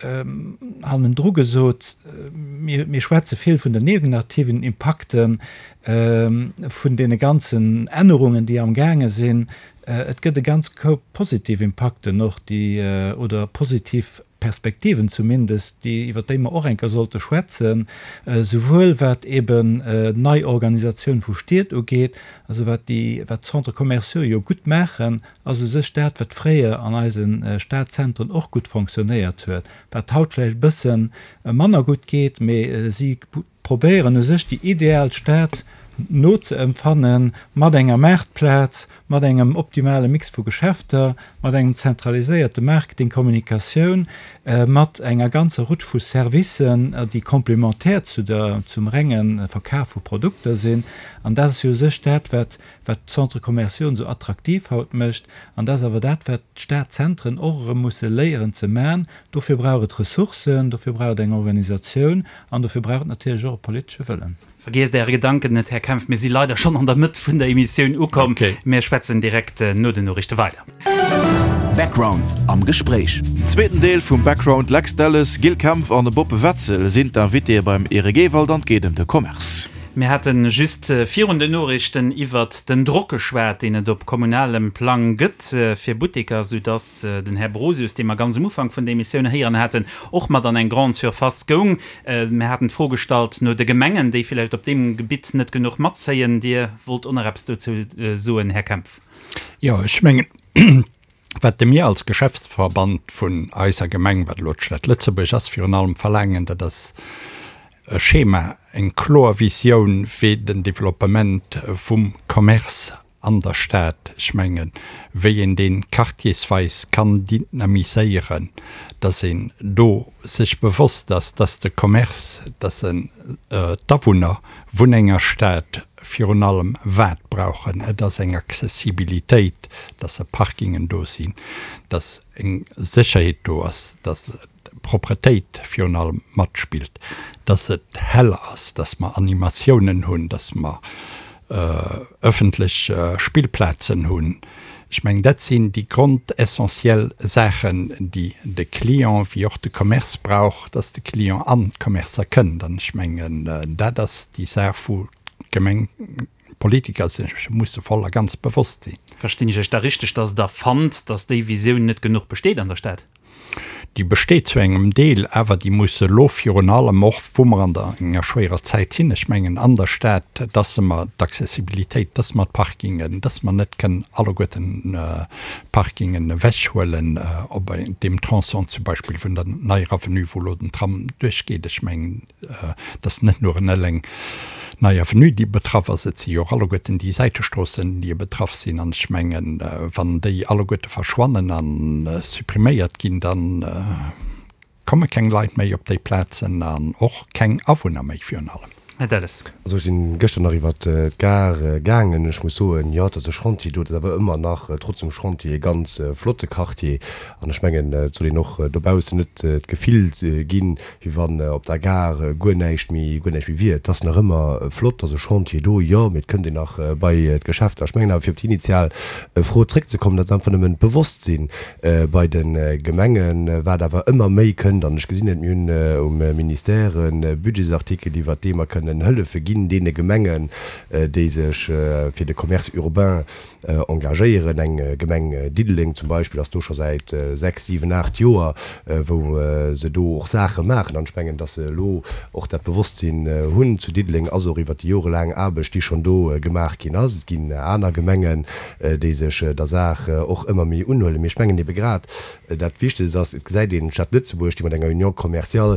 [SPEAKER 8] hannendru gesot, Mir, mir schwätze vill vun den negativen Impakten vun deene ganzen Ännerungen, déi amgaange sinn. Et gëtt e ganz Koup positiv Impakten och, déi, oder positiv Perspektiven zumindest, déi, iwwert déi mer och eng Kéier sollte schwätzen, souwuel wat eben nei Organisatioun vu Stied ugeet, also wat déi, wat d'Centres commerciaux jo gutt maachen, ass u sech dat, wat fréier an eise Stadzentren och gutt fonctionnéiert huet, wat haut vläicht e bësse manner gutt geet, mee si probéieren u sech déi ideal Stad nozeempfannen, mat enger Maartplaz, mat engem optimale Mix vu Geschäfter, mat engem zentraliséierte Marketing, Kommunikatioun, mat enger ganzer Rutsch vu Servicen, déi complémentaire zu der, zum renge Verkaf vu Produkter sinn. An dat ass jo u sech dat, wat, wat d'Centres commerciaux esou attraktiv haut mécht. An dat ass awer dat, wat d'Stadzentren och erëm musse léieren ze man. Dofir brauch et Ressourcen, dofir brauch et eng Organisatioun an dofir brauch et natierlech och e politesche Wëllen.
[SPEAKER 4] Vergiesst Äre Gedanken net, Här Kempf, mir si leider schonn an der Mëtt vun der Emissioun ukomm. Mir schwätzen direkt no den Noriichte weider.
[SPEAKER 2] Background am Gespréich.
[SPEAKER 3] Zweeten Deel vum Background, Lex Delles, Gilles Kempf an Bob Wetzel sinn d'Invitéë beim Eric Ewald an et geet ëm de Commerce.
[SPEAKER 4] Mir hate just virun den Noriichten iwwert den Drock geschwat, deen et op kommunalem Plang gëtt fir Butteker, soudass den Här Brosius, dee mer ganz um Ufank vun der Emissioun héieren haten, och mat an eng Grande Surface goung. Mir haten d'Fro gestallt no de Gemengen, déi villäicht op deem Gebitt net genuch matzéien. Dir wollt och nach eppes dozou soen, Här Kempf.
[SPEAKER 7] Jo, ech mengen, wat de mir als Geschäftsverband vun eiser Gemeng, wat elo d'Stad Lëtzebuerg ass, virun allem verlaangen, dat ass e Schema, eng kloer Visioun, wéi den Developpement vum Commerce an der Stad, ech mengen, wéi een dee quartiersweis kann dynamiséieren, dass een do sech bewosst ass, dass de Commerce, dass en d'Awunner vun enger Stad virun allem wat brauchen, et ass eng Accessibilitéit, dass se Parkingen do sinn, dass eng Sécherheet do ass, dass d'Propretéit virun allem matspillt, dass et hell ass, dass mer Animatiounen hunn, dass mer ëffentlech Spillplazen hunn. Ech mengen, dat sinn déi grondessentiell Saachen, déi de Client wéi och de Commerce brauch, dass de Client an d'Commercer kënnt. An ech mengen, dat ass déi Saach, wou d'Gemeng, d'Politiker sech musse voll a ganz bewosst sinn.
[SPEAKER 4] Verstinn ech Iech da richteg, dass Der fannt, dass déi Visioun net genuch besteet an der Stad?
[SPEAKER 7] Déi besteet zu engem Deel, awer déi muss elo virun allem och, wou mer an der enger schwéierer Zäit sinn, ech mengen an der Stad, dass mer d'Accessibilitéit, dass mer d'Parkingen, dass mer net kënnen alleguerten d'Parkingen ewechhuelen op deem Tronçon zum Beispill vun der Neier Avenue, wou elo den Tram duerchgeet. Ech mengen, Et ass net nuren eleng d'Nei Avenue, déi betraff ass, et si jo och alleguerten déi Säitestroossen, déi betraff sinn. An ech mengen, wann déi alleguerte verschwannen a suppriméiert ginn, da komme keng Leit méi op déi Plazen an och keng Awunner méi virun allem.
[SPEAKER 4] Här Delles.
[SPEAKER 5] Also ech sinn gëschter nach iwwert d'Gare gaangen. Ech muss soen, jo, et ass e Chantier do, et ass awer ëmmer nach trotz dem Chantier e ganz flotte Quartier. An ech mengen, et soll een och dobaussen net d'Gefill ginn, wéi wann op der Gare guer näischt méi, guer näischt méi wier. Et ass nach ëmmer flott, et ass e Chantier do, jo, mee et kënnt een nach bei d'Geschäfter. Ech mengen awer, fir op déi initial Fro zréckzekommen, dat ass einfach nëmmen d'Bewosstsinn bei de Gemengen, wat awer ëmmer méi kënnt. An ech gesinn et, mir hunn um Ministère e Budgetsartikel, iwwert dee mer kënnen Hëllefe ginn deene Gemengen, déi sech fir de Commerce urbain engagéieren. Eng Gemeng Diddeleng zum Beispill ass do scho säit 6, 7, 8 Joer, wou se do och Saache maachen. An ech mengen, datt se elo och dat Bewosstsinn hunn zu Diddeleng, ass och iwwert déi jorelaang Aarbecht, déi schonn do gemaach ginn ass. Et ginn aner Gemengen, déi sech der Saach och ëmmer méi unhuelen. Mee ech mengen ebe grad dat Wichtegst ass, et gesäit een d'Stad Lëtzebuerg, déi mat enger Union commerciale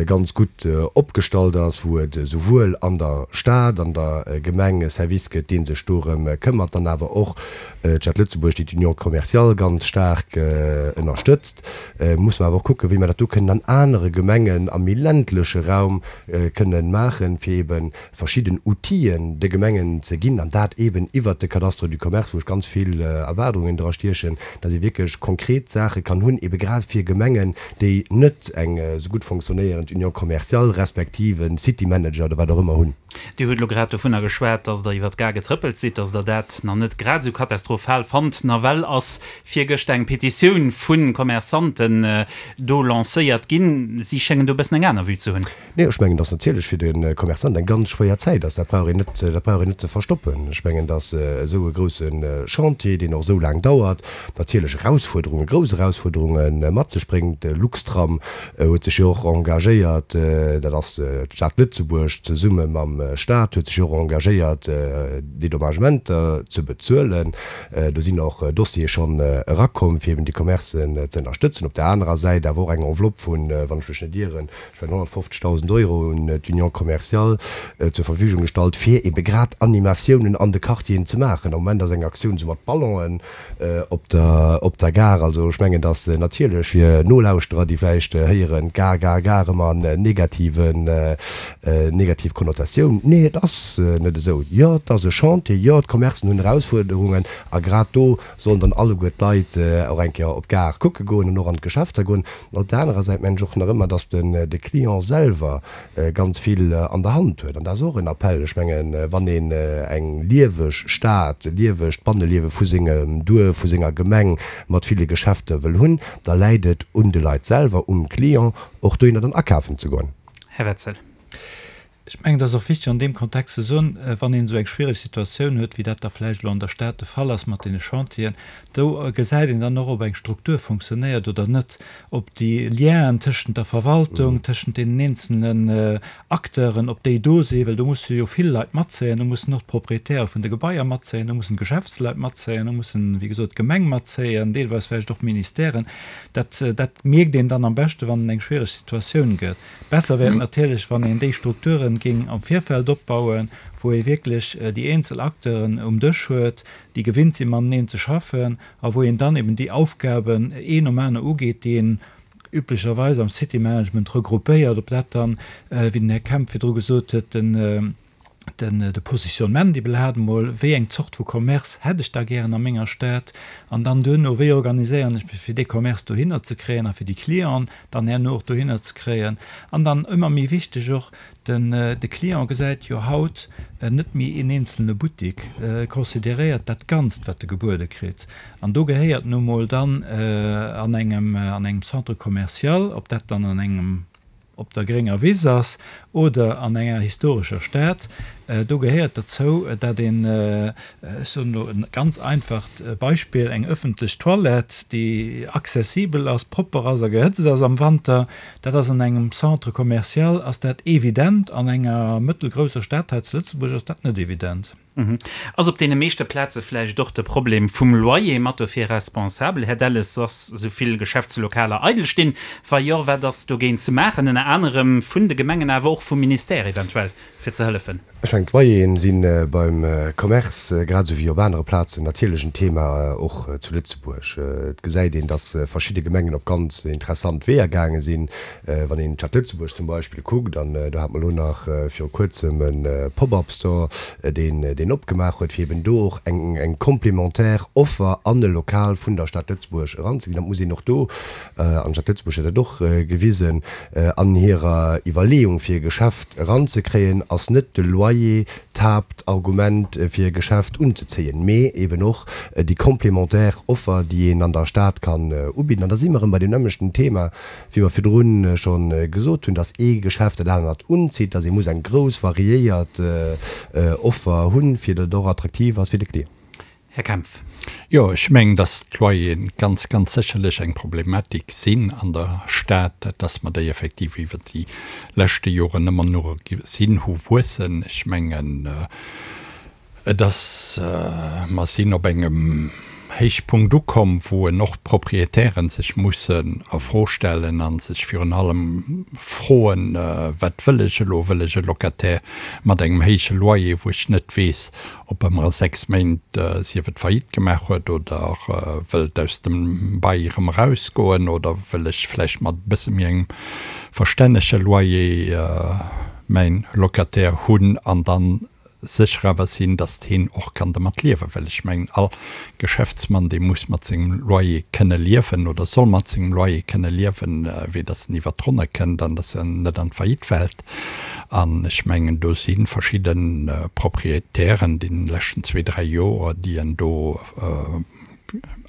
[SPEAKER 5] ganz gutt opgestallt ass, wou et esouwuel an der Stad, an der Gemeng e Service gëtt, dee sech dorëm këmmert, dann awer och d'Stad Lëtzebuerg, déi d'Union commerciale ganz staark ënnerstëtzt. Musse mer awer och kucken, wéi mer dat do kënnen an anere Gemengen am méi ländleche Raum kënnen maachen, fir eebe verschidden Outile de Gemengen ze ginn, an dat eeben iwwert de Cadastre du commerce, wou ech ganz vill Erwaardungen dra stiechen, datt ee wierklech konkret Saache kann hunn, eebe grad fir Gemengen, déi net eng esou gutt fonctionnéierend Union commerciale respektiv e City Manager oder wat och ëmmer hunn.
[SPEAKER 4] Dir hutt elo grad dovunner geschwat, datt Der iwwer d'Gare getrëppelt sidd, datt Der dat nach net grad esou katastrophal fannt. Nawell ass virgëschter eng Petitioun vu Commerçanten do lancéiert ginn. Si schéngen do e bëssen eng aner Vue ze hunn.
[SPEAKER 5] Nee, ech mengen, dass natierlech fir de Commerçant eng ganz schwéier Zäit ass. Dat brauch een net, dat brauch een net ze verstoppen. Ech mengen, dass esou e grouse Chantier, deen och esou laang dauert, natierlech Erausfuerderungen, grouss Erausfuerderunge mat sech bréngt. Luxtram huet sech jo och engagéiert, dat ass d'Stad Lëtzebuerg zesumme mam Stat, huet sech jo och engagéiert, Dédommagementer ze bezuelen. Do sinn och Dossiere schonn erakomm, fir eben déi Commercen ze ënnerstëtzen. Op där anerer Säit awer och eng Enveloppe vun, wann ech mech net ieren, ech mengen 150.000 Euro un d'Union commerciale zur Verfügung gestallt, fir ebe grad Animatiounen an de Quartieren ze maachen. Am Moment ass eng Aktioun esou mat Ballonen op der op der Gare. Also ech mengen, datt natierlech fir Nolauschterer, déi vläicht héieren, Gare, Gare, Gare ëmmer en negativen, negativ Konnotatioun. Diskussioun, Nee, et ass net esou. Jo, et ass e Chantier, jo, d'Commercen hunn Erausfuerderungen a grad do sollen dann alleguer d'Leit och eng Kéier op d'Gare kucke goen an och an d'Geschäfter goen. An op der anerer Säit mengen ech och nach ëmmer, dass de Client selwer ganz vill an der Hand huet. An dat ass och en Appell. Ech mengen, wann een eng lieweg Stad, e liewegt Banneliewe vu sengem Duerf, vu senger Gemeng mat ville Geschäfter wëll hunn, da läit et un de Leit selwer, um Client, och dohinner dann akafen ze goen.
[SPEAKER 4] Här Wetzel.
[SPEAKER 8] Ech mengen, et ass och wichteg an deem Kontext ze soen, wann een esou eng schwiereg Situatioun huet, wéi dat da vläicht elo an der Stad de Fall ass mat deene Chantieren, do gesäit een dann och, ob eng Struktur funktionéiert oder net, ob déi Lienen tëschent der Verwaltung, tëschent deenen eenzelnen Acteuren, ob déi do sinn, well do musse jo vill Leit matzéien, do mussen och d'Proprietäre vun de Gebaier matzéien, do mussen d'Geschäftsleit matzéien, do mussen, wéi gesot, d'Gemeng matzéien, deelweis vläicht och d'Ministèren. Dat, dat mierkt een dann am beschte wann et eng schwiereg Situatioun gëtt. Besser wär et natierlech, wann een déi Strukturen géing am Virfeld opbauen, wou ee wierklech déi eenzel Acteuren um Dësch huet, déi gewinnt sinn, mateneen ze schaffen, a wou een dann eben déi Aufgaben een nom aner ugeet, déi een üblecherweis am City Management regroupéiert, ob dat dann, wéi den Här Kemp virdru gesot huet, den, den de Positionnement iwwerhaapt emol, wéi eng Zort vu Commerce hätt ech da gären a menger Stad, an dann duerno, wéi organiséieren ech mech fir dee Commerce dohinner ze kréien a fir déi Clienten dann herno och dohinner ze kréien. An dann ëmmer méi wichteg och, den de Client gesäit jo haut net méi een eenzelne Buttik, e consideréiert dat Ganzt wat e gebuede kritt. An do gehéiert nu mol dann an engem an engem Centre commercial, ob dat dann an engem op der grénger Wiss ass oder an enger historescher Stad, do gehéiert derzou, dat een, ech soen elo e ganz einfacht Beispill, eng öffentlech Toilette, déi accessibel ass, propper ass a gehëtzt ass am Wanter, dat ass an engem Centre commercial ass dat evident, an enger mëttelgrousser Stad hei zu Lëtzebuerg ass dat net evident.
[SPEAKER 4] Ass op deene meeschte Plaze vläicht och de Problem vum Loyer mat dofir responsabel? Här Delles, ass esou vill Geschäftslokaler eidel stinn? Wa jo, wat ass dogéint ze maachen, ënner anerem vun de Gemengen, awer och vum Ministère eventuell, fir ze hëllefen?
[SPEAKER 5] Ech mengen, d'Loyeren si beim Commerce, grad esou wéi op anere Plazen, natierlech en Thema, och zu Lëtzebuerg. Et gesäit een, datt verschidde Gemengen op ganz interessant Weeër gaange sinn. Wann een d'Stad Lëtzebuerg zum Beispill kuckt, an do hat mer elo nach viru kuerzem e Pop-up-Store, deen deen opgemaach huet, fir eben do och eng eng complémentaire Offer an e Lokal vun der Stad Lëtzebuerg eranzeginn. Dat muss een och do, an d'Stad Lëtzebuerg huet dat och gewisen, an hirer Iwwerleeung fir e Geschäft eranzekréien, ass net de Loyer d'Haaptargument fir e Geschäft unzezéien, mee eben och déi complémentaire Offer, déi een an der Stad kann ubidden. An da si mer erëm bei deem nämmlechten Thema, wéi mer virdrun scho gesot hunn, dass ee Geschäft dat anert unzitt, dass ee muss eng grouss variéiert Offer hunn, fir datt et och attraktiv ass fir de Client.
[SPEAKER 4] Här Kempf.
[SPEAKER 7] Jo, ech mengen, dass d'Loyeren ganz, ganz sécherlech eng Problematik sinn an der Stad, dass mer déi effektiv iwwert déi leschte Joren ëmmer no gesinn hu wuessen. Ech mengen, Et ass, mer sinn op engem Héichpunkt ukomm, wou en och d'Proprietären sech mussen a Fro stellen a sech virun allem froen, Wat wëll ech elo? Wëll ech e Locataire mat engem héije Loyer, wou ech net weess, ob e mer a 6 Méint, sief et Faillite gemaach huet oder wëllt aus dem Bail erëm erausgoen, oder wëll ech vläicht mat e bësse méi engem verstännege Loyer mäin Locataire hunn an dann sécher awer sinn, datt heen och kann dermat liewen, well ech mengen, all Geschäftsmann, dee muss mat sengem Loyer kënne liewen oder soll mat sengem Loyer kënne liewen, wéi datt en iwwert d'Ronne kënnt an datt en net an d'Faillite fält. An ech mengen, do si verschidde Proprietären deene leschten zwee, dräi Joer, déi en do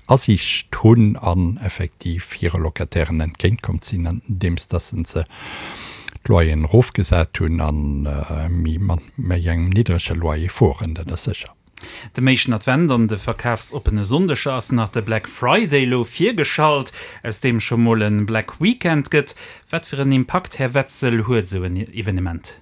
[SPEAKER 7] Asiicht hunn an effektiv hire Locatairen entgéintkomm sinn, andeems dass se d'Loyeren erofgesat hunn a méi mat méi engem niddrege Loyer fueren, dat ass sécher.
[SPEAKER 4] Dem éischten Advent an de verkafsoppene Sonndeger ass nach de Black Friday elo virgeschalt, aus deem scho mol e Black Weekend gëtt. Wat fir en Impakt, Här Wetzel, huet esou en Evenement?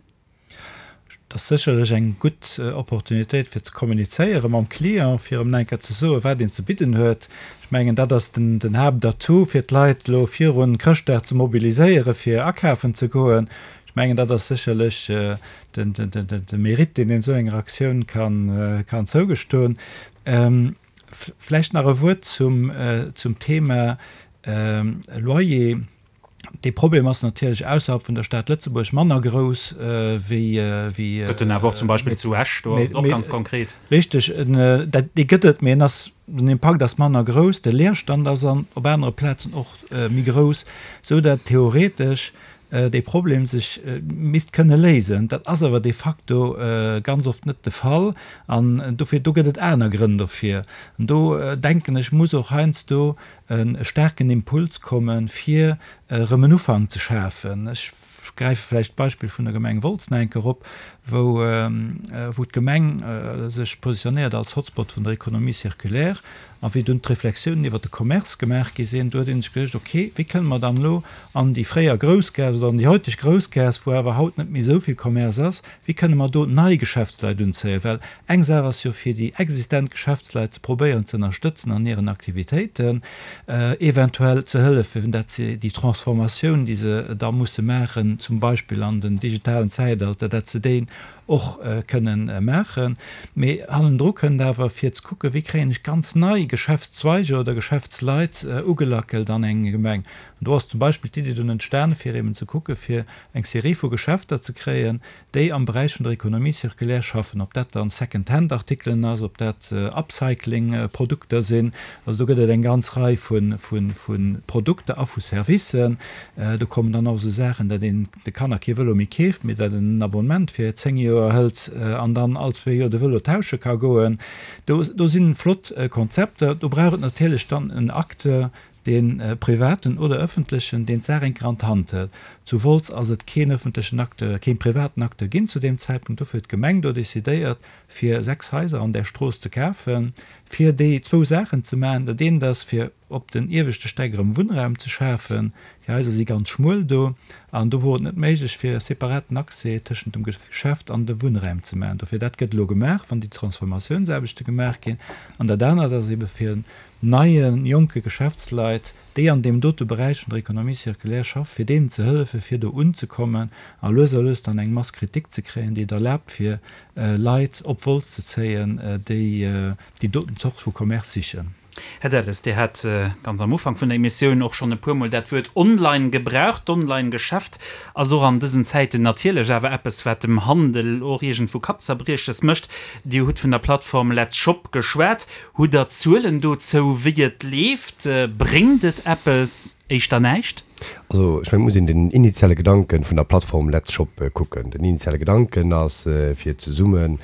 [SPEAKER 8] Et ass sécherlech eng gutt Opportunitéit fir ze kommunizéiere mam Client, fir em nach eng Kéier ze soen, wat een ze bidden huet. Ech mengen, dat ass den Haaptatout, fir d'Leit elo virun Chrëschtdag ze mobiliséieren, fir akafen ze goen. Ech mengen, dat ass sécherlech de Mérite, deen een esou enger Aktioun kann zougestoen. Vläicht nach e Wuert zum Thema Loyer. Dee Problem ass natierlech ausserhalb vun der Stad Lëtzebuerg manner grouss wéi.
[SPEAKER 4] Gëtt en awer och zum Beispill zu Esch, do ass et och ganz konkret.
[SPEAKER 8] Richteg, dee gëtt et, mee en ass, den Impakt ass manner grouss, de Leerstand ass an op anere Plazen och méi grouss, esou dat theoretesch dee Problem sech misst kënne léisen. Dat ass awer de facto ganz oft net de Fall an dofir, do gëtt et aner Grënn dofir. An do denken ech, muss och heiansdo e staarken Impuls kommen, fir erëm en Ufank ze schafen. Ech gräife vläicht d'Beispill vun der Gemeng Wolz nach eng Kéier op, wou wou d'Gemeng sech positionéiert als Hotspot vun der Économie circulaire. A wéi dunn d'Reflexiounen iwwert de Commerce gemaach gi sinn, do huet ee sech geduecht, okay, wéi kënne mer dann elo an déi fréier Groussgaass oder an déi heuteg Groussgaass, wou awer haut net méi esou vill Commerce ass, wéi kënne mer do nei Geschäftsleit unzéien? Well eng Saach ass jo fir déi existent Geschäftsleit ze probéieren ze ënnerstëtzen an hiren Aktivitéiten, eventuell ze hëllefen, dat se déi Transformatioun, déi se da musse maachen, zum Beispill an den digitalen Zäitalter, dat se déi och kënnen maachen. Mee hannendru kënnt awer, fir ze kucken, wéi kréien ech ganz nei Geschäftszweiger oder Geschäftsleit ugelackelt an eng Gemeng. An do ass zum Beispill d'Iddi dunn entstanen, fir eben ze kucken, fir eng Serie vu Geschäfter ze kréien, déi am Beräich vun der Économie circulaire schaffen, ob dat dann Second-Hand-Artikelen ass, ob dat Upcycling-Produkter sinn. Also do gëtt et eng ganz Rei vu Produkter a vu Servicen. Do kommen dann och esou Saachen, datt een de Kanner kee Vëlo méi keeft, mee datt een en Abonnement fir 10 Joer hëlt an dann all zwee Joer de Vëlo tausche ka goen. Do do si flott Konzepter. Do brauch et natierlech dann en Acteur, dee privaten oder ëffentlechen, deen d'Saach eng Kéier an d'Hand hëlt. Zu Wolz ass et keen ëffentlechen Acteur, keen privaten Acteur ginn zu deem Zäitpunkt. Dofir huet d'Gemeng do decidéiert, fir 6 Haiser an där Strooss ze kafen, fir déi zwou Saachen ze maachen. Dat eent ass, fir op den ieweschte Stäck erëm Wunnraum ze schafen. Déi Haiser si ganz schmuel do an do wor et net méiglech, fir e separaten Accès tëschent dem Geschäft an de Wunnräim ze maachen. Dofir, dat gëtt elo gemaach, wann déi Transformatiounsaarbechte gemaach ginn. An dat anert ass ebe fir neie jonke Geschäftsleit, déi an deem dote Beräich vun der Économie circulaire schaffen, fir deenen ze hëllefen, fir do unzekommen a lues a lues dann eng Masse critique ze kréien, déi et erlaabt, fir Leit op Wolz ze zéien, déi déi doten Zort vu Commerce sichen.
[SPEAKER 4] Här Delles, Dir hat ganz am Ufank vun der Emissioun och schonn e puermol dat Wuert online gebraucht. D'Online-Geschäft ass och an dësen Zäiten natierlech awer eppes, wat dem Handel och iergendwou Kappzerbrieches mécht. Dir hutt vun der Plattform Let's Shop geschwat. Hutt Der Zuelen dozou, wéi et leeft? Bréngt et eppes? Éischter näischt?
[SPEAKER 5] Also ech mengen, et muss een den initiale Gedanke vun der Plattform Let's Shop kucken. Den initiale Gedanken ass, fir zesumme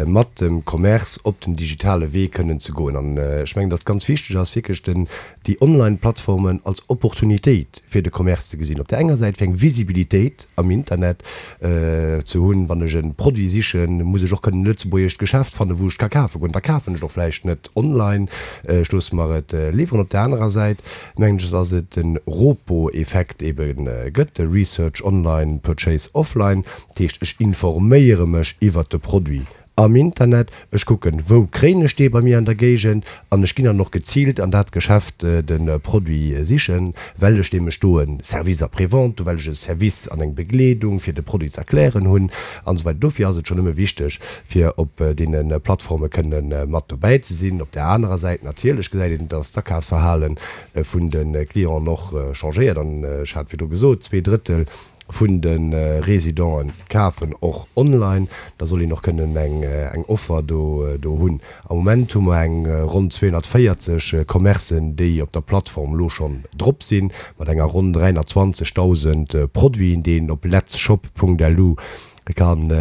[SPEAKER 5] mat dem Commerce op den digitale Wee kënnen ze goen. An ech mengen, datt et ganz wichteg ass, wierklech den, déi Online-Plattformen als Opportunitéit fir de Commerce ze gesinn. Op där enger Säit fir eng Visibilitéit am Internet ze hunn, wann ech e Produit sichen, muss ech och kënnen e lëtzebuergescht Geschäft fannen, wou ech et ka kafe goen. Da kafen ech och vläicht net online, ech loosse mer et liwweren. Op där anerer Säit mengen ech, dass et de ROPO-Effekt ebe gëtt, de Research Online, Purchase Offline. Dat heescht, ech informéiere mech iwwert de Produit am Internet, ech kucken, wou kréien ech dee bei mir an der Géigend an ech ginn dann och geziilt an dat Geschäft de Produit sichen, well ech nämlech do e Service après-vente hu, well ech e Service an eng Begleedung fir de Produit ze erklären hunn an esou weider. Dofir ass et schonn nëmme wichteg, fir op deene Plattforme kënne mat dobäi ze sinn. Op där anerer Säit natierlech gesäit een, dass d'Akafsverhale vun de Clienten och changéiert an ech hat virdru gesot, zweedrëttel vun de Residenten kafen och online, da soll een och kënnen eng Offer do hunn. Am Moment hu mer eng ronn 240 Commercen, déi op der Plattform elo schonn drop sinn, mat enger ronn 320.000 Produiten, déi een op letsshop.lu kann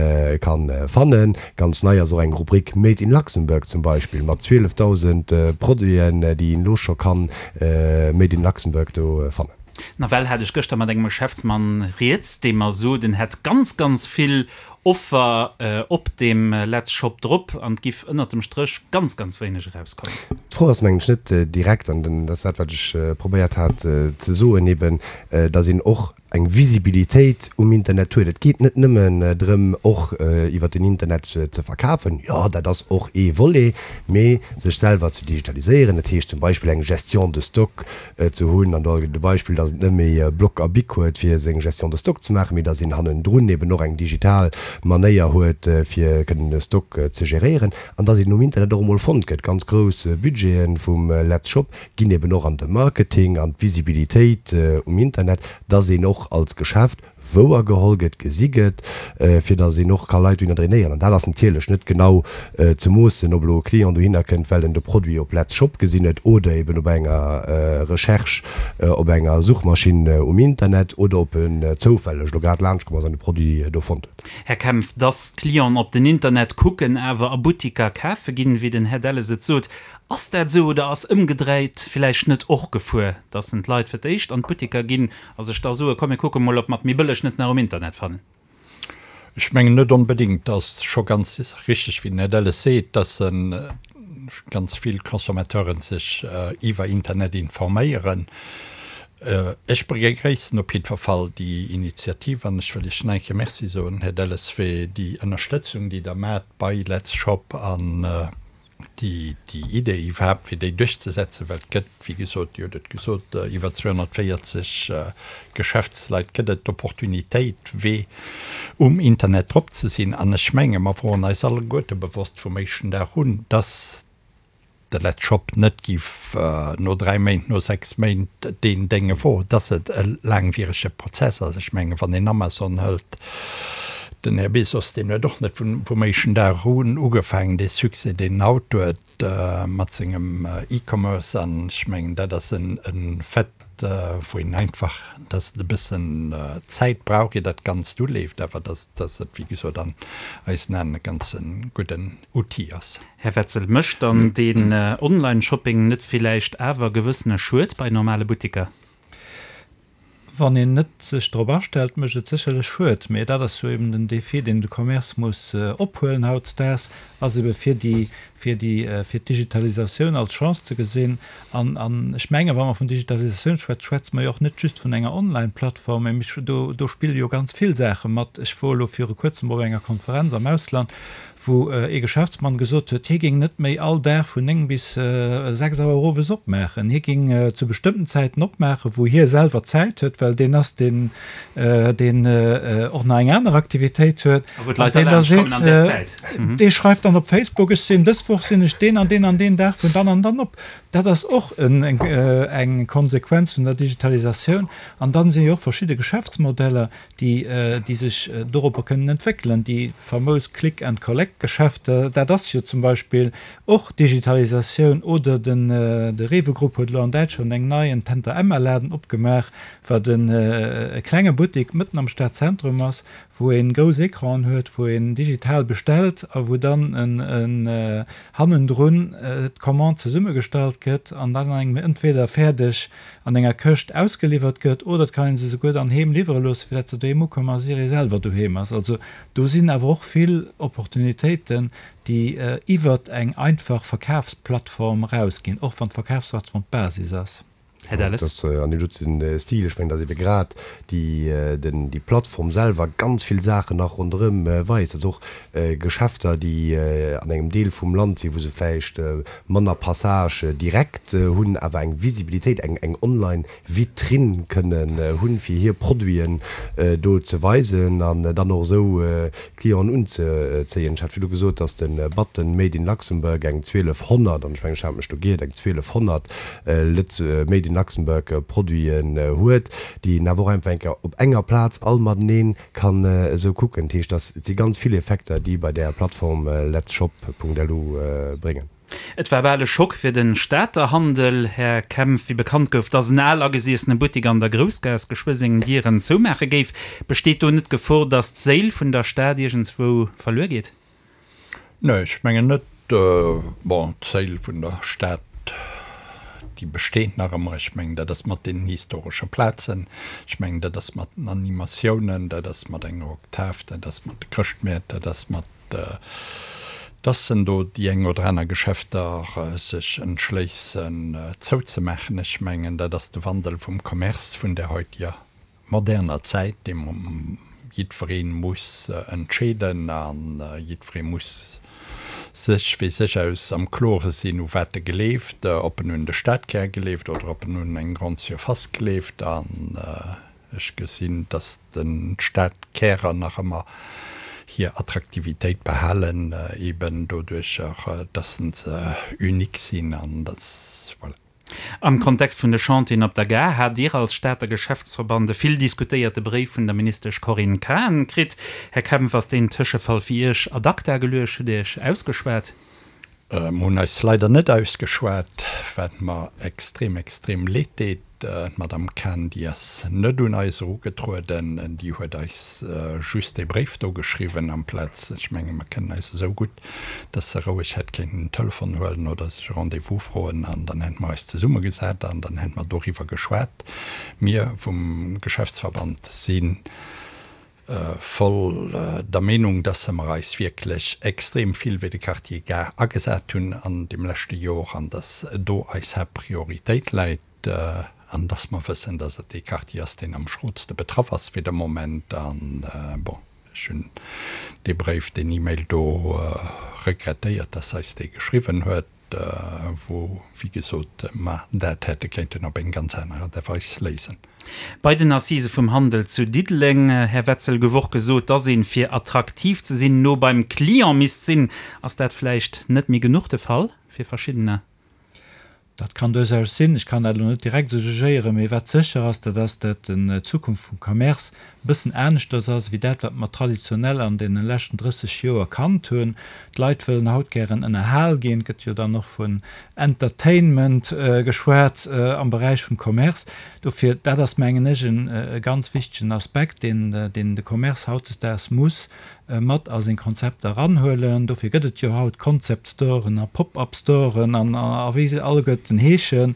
[SPEAKER 5] fannen. Ganz nei ass och eng Rubrik Made in Luxembourg zum Beispill, mat 12.000 Produiten, déi een elo scho kann Made in Luxembourg do fannen.
[SPEAKER 4] Nawell hat ech gëschter mat engem Geschäftsmann rieds, dee mer sot, en hätt ganz, ganz vill Offer op deem Let's Shop drop an et giff ënnert dem Stréch ganz, ganz wéineg erauskommen.
[SPEAKER 5] D'Fro ass, mengen ech, net direkt, an dat ass dat, wat ech probéiert hat ze soen, eben, datt een och. eng Visibilitéit um Internet huet. Et geet net nëmmen drëm, och iwwert den Internet ze verkafen, jo, dat ass och ee Volet, mee sech selwer ze digitaliséieren. Dat heescht zum Beispill eng Gestion de stock ze hunn, an do gëtt et e Beispill, datt et net méi Bloc a Bic huet, fir seng Gestion de stock ze maachen, mee datt een hannendrun eben och eng digital Manéier huet, fir kënnen e Stock ze geréieren, an datt een um Internet och emol fonnt gëtt. Ganz grouss Budgete vum Letzshop ginn eben och an de Marketing, an d'Visibilitéit um Internet, dass een och als Geschäft wouergeholl gëtt, gesi gëtt, fir dass een och ka Leit dohinner drainéieren. An dat ass natierlech net genau ze moossen, ob elo e Client dohinner kënnt, well en de Produit op Let's Shop gesinn huet oder eben op enger Recherche op enger Suchmaschinn um Internet oder ob en zoufälleg elo grad laanschtkomm ass an de Produit do fonnt huet.
[SPEAKER 4] Här Kempf, dass d'Clienten op den Internet kucken, awer a Buttiker kafe ginn, wéi den Här Delles et sot, Ass dat esou oder ass ëmgedréit villäicht net och d'Gefuer, dass en d'Leit fir d'éischt an d'Buttiker ginn a sech da soe komm mir kucke mol ob mer et méi bëlleg net nach um Internet fannen?
[SPEAKER 7] Ech mengen net onbedéngt. Et ass scho ganz richteg, wéi den Här Delles seet, dass ganz vill Consommateuren sech iwwer Internet informéieren. Ech begréissen op jiddwer Fall déi Initiativ an ech wëll Iech nach eng Kéier Merci soen, Här Delles, fir déi Ënnerstëtzung, déi Der maacht bei Let's Shop an déi Idee iwwerhaapt, fir déi duerchzesetzen, well et gëtt, wéi gesot, Dir hutt et gesot, iwwer 240 Geschäftsleit gëtt et d'Opportunitéit, wee um Internet drop ze sinn. An ech menge mer woren eis alleguerte bewosst vum éischten Dag un, dass de Letzshop net giff no dräi Méint, no sechs Méint deen Dénge wor, dass et e laangwierege Prozess ass. Ech menge wann een Amazon hëlt, Den Här Bezos, deen huet och net vum éischten Dag un ugefaangen, dee Succès, deen en haut huet mat sengem E-Commerce. An ech mengen, dat ass e Fait, wou een einfach, dass et e bëssen Zäit brauch, ier dat Ganzt uleeft, awer dass et, wéi gesot, an eisen Aen e ganze gudden Outil ass.
[SPEAKER 4] Här Wetzel, mécht dann deen Online-Shopping net villäicht awer gewëssene Schued bei normale Buttiker?
[SPEAKER 8] Wann een net sech drop astellt, mécht et sécherlech Schued. Mee dat ass jo eben den Défi, deen de Commerce muss ophuelen hautdesdaags, ass ebe fir déi, fir déi, fir d'Digitalisatioun als Chance ze gesinn. An, an ech mengen, wa mer vun Digitalisatioun schwätzen, schwätze mer jo och net just vun enger Online-Plattform, mee mir, do, do spille jo ganz vill Saache mat. Ech wor elo viru Kuerzem op enger Konferenz am Ausland, wou ee Geschäftsmann gesot huet, hie géing net méi all Dag vun 9 bis 6 Auer owes opmaachen. Hie géing zu bestëmmten Zäiten opmaachen, wou hie selwer Zäit huet, well deen ass, deen deen och nach eng aner Aktivitéit huet.
[SPEAKER 4] A wou d'Leit da laanscht kommen an där Zäit.
[SPEAKER 8] Dee schreift dann op Facebook, Ech sinn dës Woch sinn ech deen an deen an deen Dag vun dann an dann op. Dat ass och eng Konsequenz vun der Digitalisatioun. An dann si jo och verschidde Geschäftsmodeller, déi déi sech doropper kënnen entwéckelen. Déi famous Click and Collect Geschäfter, dat ass jo zum Beispill och Digitalisatioun. Oder den de Rewe Group huet elo an Däitschland eng nei, en Tante Emma Laden opgemaach, wat en e klenge Buttik mëtten am Stadzentrum ass, wou een grouss Ecranen huet, wou een digital bestellt a wou dann en en hannendrun d'Commande zesummegestallt gëtt an dann engem entweder fäerdeg an enger Këscht ausgeliwwert gëtt oder et kann een se souguer dann heem liwwere loossen, fir dat se doheem ukommen a ier ee selwer doheem ass. Also do sinn awer och vill Opportunitéiten, déi iwwert eng einfach Verkafsplattform erausginn, och wann d'Verkafsplattform d'Basis ass.
[SPEAKER 4] Här Delles.
[SPEAKER 5] Dat ass an deem doten Stil. Ech mengen, datt ebe grad déi, den, déi Plattform selwer ganz vill Saachen nach ronderëm weist. Also och Geschäfter, déi an engem Deel vum Land sinn, wou se vläicht manner Passage direct hunn, awer eng Visibilitéit, eng eng online Vitrinn kënnen hunn, fir hir Produiten do ze weisen an dann och esou Clienten unzezéien. Ech hat virdu gesot, dass de Button Made in Luxembourg eng 1200, an ech mengen, ech hat mech do giert, eng 1200 Lëtz Made in Luxembourg Produiten huet, déi een awer och einfach eng Kéier op enger Plaz all matenee kann esou kucken. Dat heescht, dass et si ganz vill Effekter, déi bei där Plattform letsshop.lu bréngen.
[SPEAKER 4] Et war bal e Schock fir de Stater Handel, Här Kempf, wéi bekannt gouf, dass en al agesiessene Buttek an der Groussgaass geschwë seng Dieren zoumaache géif. Besteet do net d'Gefor, dass d'Séil vun der Stad iergendswou verluer geet?
[SPEAKER 7] Nee, ech mengen net. Bon, d'Séil vun der Stad, déi besteet nach ëmmer. Ech mengen, dat ass mat deenen historesche Plazen, ech mengen, dat ass mat den Animatiounen, dat ass mat enger Oktav, dat ass mat de Chrëschtmäert, dat ass mat, dass en do déi eng oder aner Geschäfter sech entschléissen zouzemaachen. Ech mengen, dat ass de Wandel vum Commerce vun der heutiger. moderner Zäit, dee jiddweree muss entscheeden a jiddweree muss sech fir sech aus am Klore sinn, u wat e gleeft, ob en un de Stadkär gleeft oder ob en un eng Grande Surface gleeft. An ech gesinn, dass d'Stadkärer nach ëmmer hir Attraktivitéit behalen, eben doduercher, dass se unique sinn an dass, voilà.
[SPEAKER 4] Am Kontext vun de Chantieren op der Gare hat Dir als Stater Geschäftsverband e vill diskutéierte Bréif vun der Ministesch Corinne Cahen kritt. Här Kempf, ass deen Tëschefall fir Iech ad acta geluecht? Hutt Dir Iech ausgeschwat?
[SPEAKER 7] Mer hunn eis leider net ausgeschwat, wat mer extrem, extrem leed deet. D'Madame Cahen, déi ass net un eis erugetrueden, déi huet eis just dee Bréif do geschriwwen amplaz, ech menge mer kennen eis esou gutt, dass se roueg hätt kéinten den Telefon huelen oder sech e Rendez-vous froen an dann hätte mer eis zesummegesat an dann hätte mer doriwwer geschwat. Mir vum Geschäftsverband si voll der Meenung, dass mer eis wierklech extrem vill fir de Quartier Gare agesat hunn an deem leschte Jor an dass do eis Haaptprioritéit läit an dass mer wëssen, dass et dee Quartier ass, deen am schrootste betraff ass fir de Moment. An, bon, Ech hunn dee Bréif, deen E-Mail do regrettéiert, dass eis dee geschriwwen huet, wou, wéi gesot, mer dat hätte kéinten op eng ganz aner Aart a Weis léisen.
[SPEAKER 4] Bei den Assisë vum Handel zu Diddeleng, Här Wetzel, gouf och gesot, dass een, fir attraktiv ze sinn, no beim Client misst sinn. Ass dat vläicht net méi genuch de Fall fir verschiddener?
[SPEAKER 8] Dat kann duerchaus sinn. Ech kann dat elo net direkt esou jugéieren. Mee wat sécher ass, dat ass, dat d'Zukunft vum Commerce e bëssen aneschters ass wéi dat, wat mer traditionell an deene leschten 30 Joer kannt hunn. D'Leit wëllen haut gären ënnerhal ginn. Et gëtt jo dann och vun Entertainment geschwat am Beräich vum Commerce. Dofir, dat ass, mengen ech, e ganz wichtegen Aspekt, deen de Commerce hautdesdaags muss mat a seng Konzepter eranhuelen. Dofir gëtt et jo haut Concept Storen a Pop-up Storen an a wéi se alleguerten heeschen.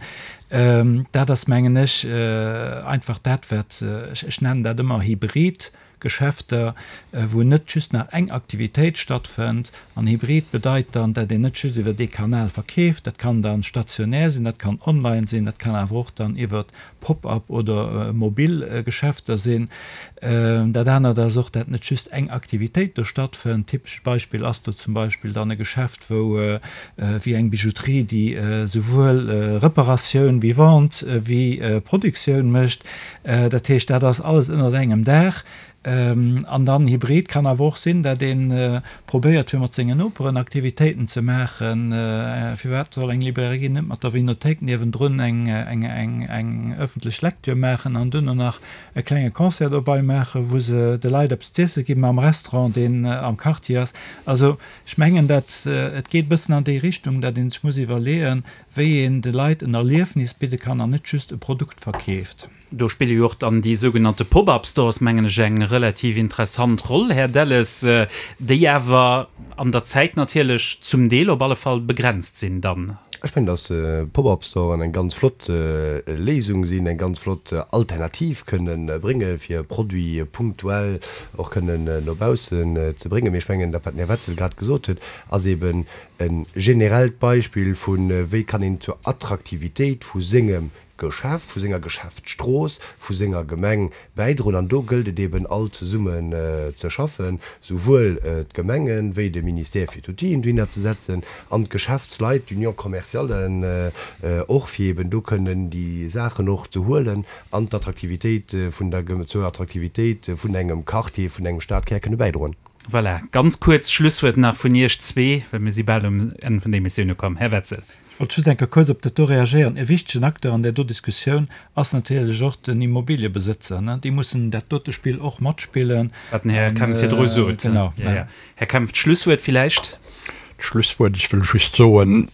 [SPEAKER 8] Dat ass, mengen ech, einfach dat, wat, ech nennen dat ëmmer hybrid Geschäfter, wou net just nach eng Aktivitéit stattfënnt. An hybrid bedeit dann, dat een net just iwwer ee Kanal verkeeft, dat kann dann stationär sinn, dat kann online sinn, dat kann awer och dann iwwer Pop-up oder mobil Geschäfter sinn. Dat anert ass och, dat net just eng Aktivitéit do stattfënnt. Typescht Beispill ass do zum Beispill dann e Geschäft, wou wéi eng Bijouterie, déi souwuel Reparatioun wéi Vente wéi Produktioun mécht. Dat heescht, dat ass alles ënnert engem Daach. An dann Hybrid kann awer och sinn, dat ee probéiert fir mat sengen Noperen Aktivitéiten ze maachen. Firwat soll eng Librairie net mat der Vinothéik niewendrun eng ëffentlech Lecture maachen an duerno nach e klenge Concert dobei maachen, wou se de Leit eppes z'iesse ginn am Restaurant, deen am Quartier ass. Also ech mengen, dat et geet e bëssen an déi Richtung, dat ee sech muss iwwerleeën, wéi een de Leit en Erliefnis bidde kann an net just e Produkt verkeeft.
[SPEAKER 4] Do spille jo och dann déi sougenannte Pop-up-Stores, mengen ech, eng relativ interessant Roll, Här Delles, déi awer an der Zäit natierlech zum Deel op alle Fall begrenzt sinn dann.
[SPEAKER 5] Ech mengen, dass Pop-up-Storen eng ganz flott Léisung sinn, eng ganz flott Alternativ kënnen brénge fir Produite punktuell och kënnen no baussen ze bréngen. Mee ech mengen, dat wat den Här Wetzel grad gesot huet, ass eeben e generellt Beispill vu wéi kann een zur Attraktivitéit vu sengem Geschäft, vu senger Geschäftsstrooss, vu senger Gemeng bäidroen. An do gëllt et eben all zesummen ze schaffen, souwuel d'Gemengen, wéi de Ministère fir d'Outill'en dohinner ze setzen an d'Geschäftsleit, d'Union commerciale och, fir eben do kënnen déi Saachen och ze huelen an d'Attraktivitéit vun der, zur Attraktivitéit vun engem Quartier, vun engem Stadkär kënne bäidroen.
[SPEAKER 4] Voilà, ganz kuerz Schlusswuert nach vun Iech zwee, well mir si bal um Enn vun der Emissioun ukomm. Här Wetzel.
[SPEAKER 8] Ech wollt just eng Kéier kuerz op dat do reagéieren. E wichtegen Acteur an där do Diskussioun ass natierlech och den Immobiliëbesëtzer. Déi mussen dat dote Spill och matspillen.
[SPEAKER 4] Wat den Här Kempf virdru sot.
[SPEAKER 8] Genau.
[SPEAKER 4] Här Kempf, d'Schlusswuert villäicht?
[SPEAKER 7] D'Schlusswuert, ech wëll just soen,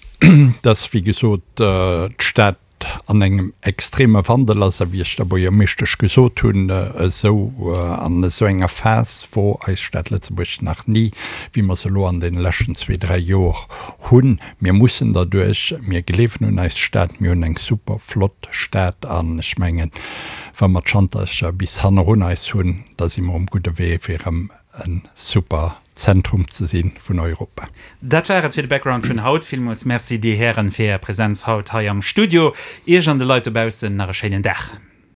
[SPEAKER 7] dass, wéi gesot, d'Stad an engem extreme Wandel ass, a wéi ech der Buergermeeschtesch gesot hunn, esou an esou enger Phas wor eis Stad Lëtzebuerg nach ni, wéi mer se elo an deene leschten zwee, dräi Jor hunn. Mir mussen derduerch, mir gleewen un eis Stad, mir hunn eng super flott Stad an ech mengen, wa mer d'Schantercher bis hannerun eis hunn, da si mer um gudde Wee fir erëm e super Zentrum ze si vun Europa.
[SPEAKER 4] Dat war et fir de Background vun haut. Villmools Merci, Dir Hären, fir Är Präsenz haut hei am Studio. Iech an de Leit dobaussen nach e schéinen Dag.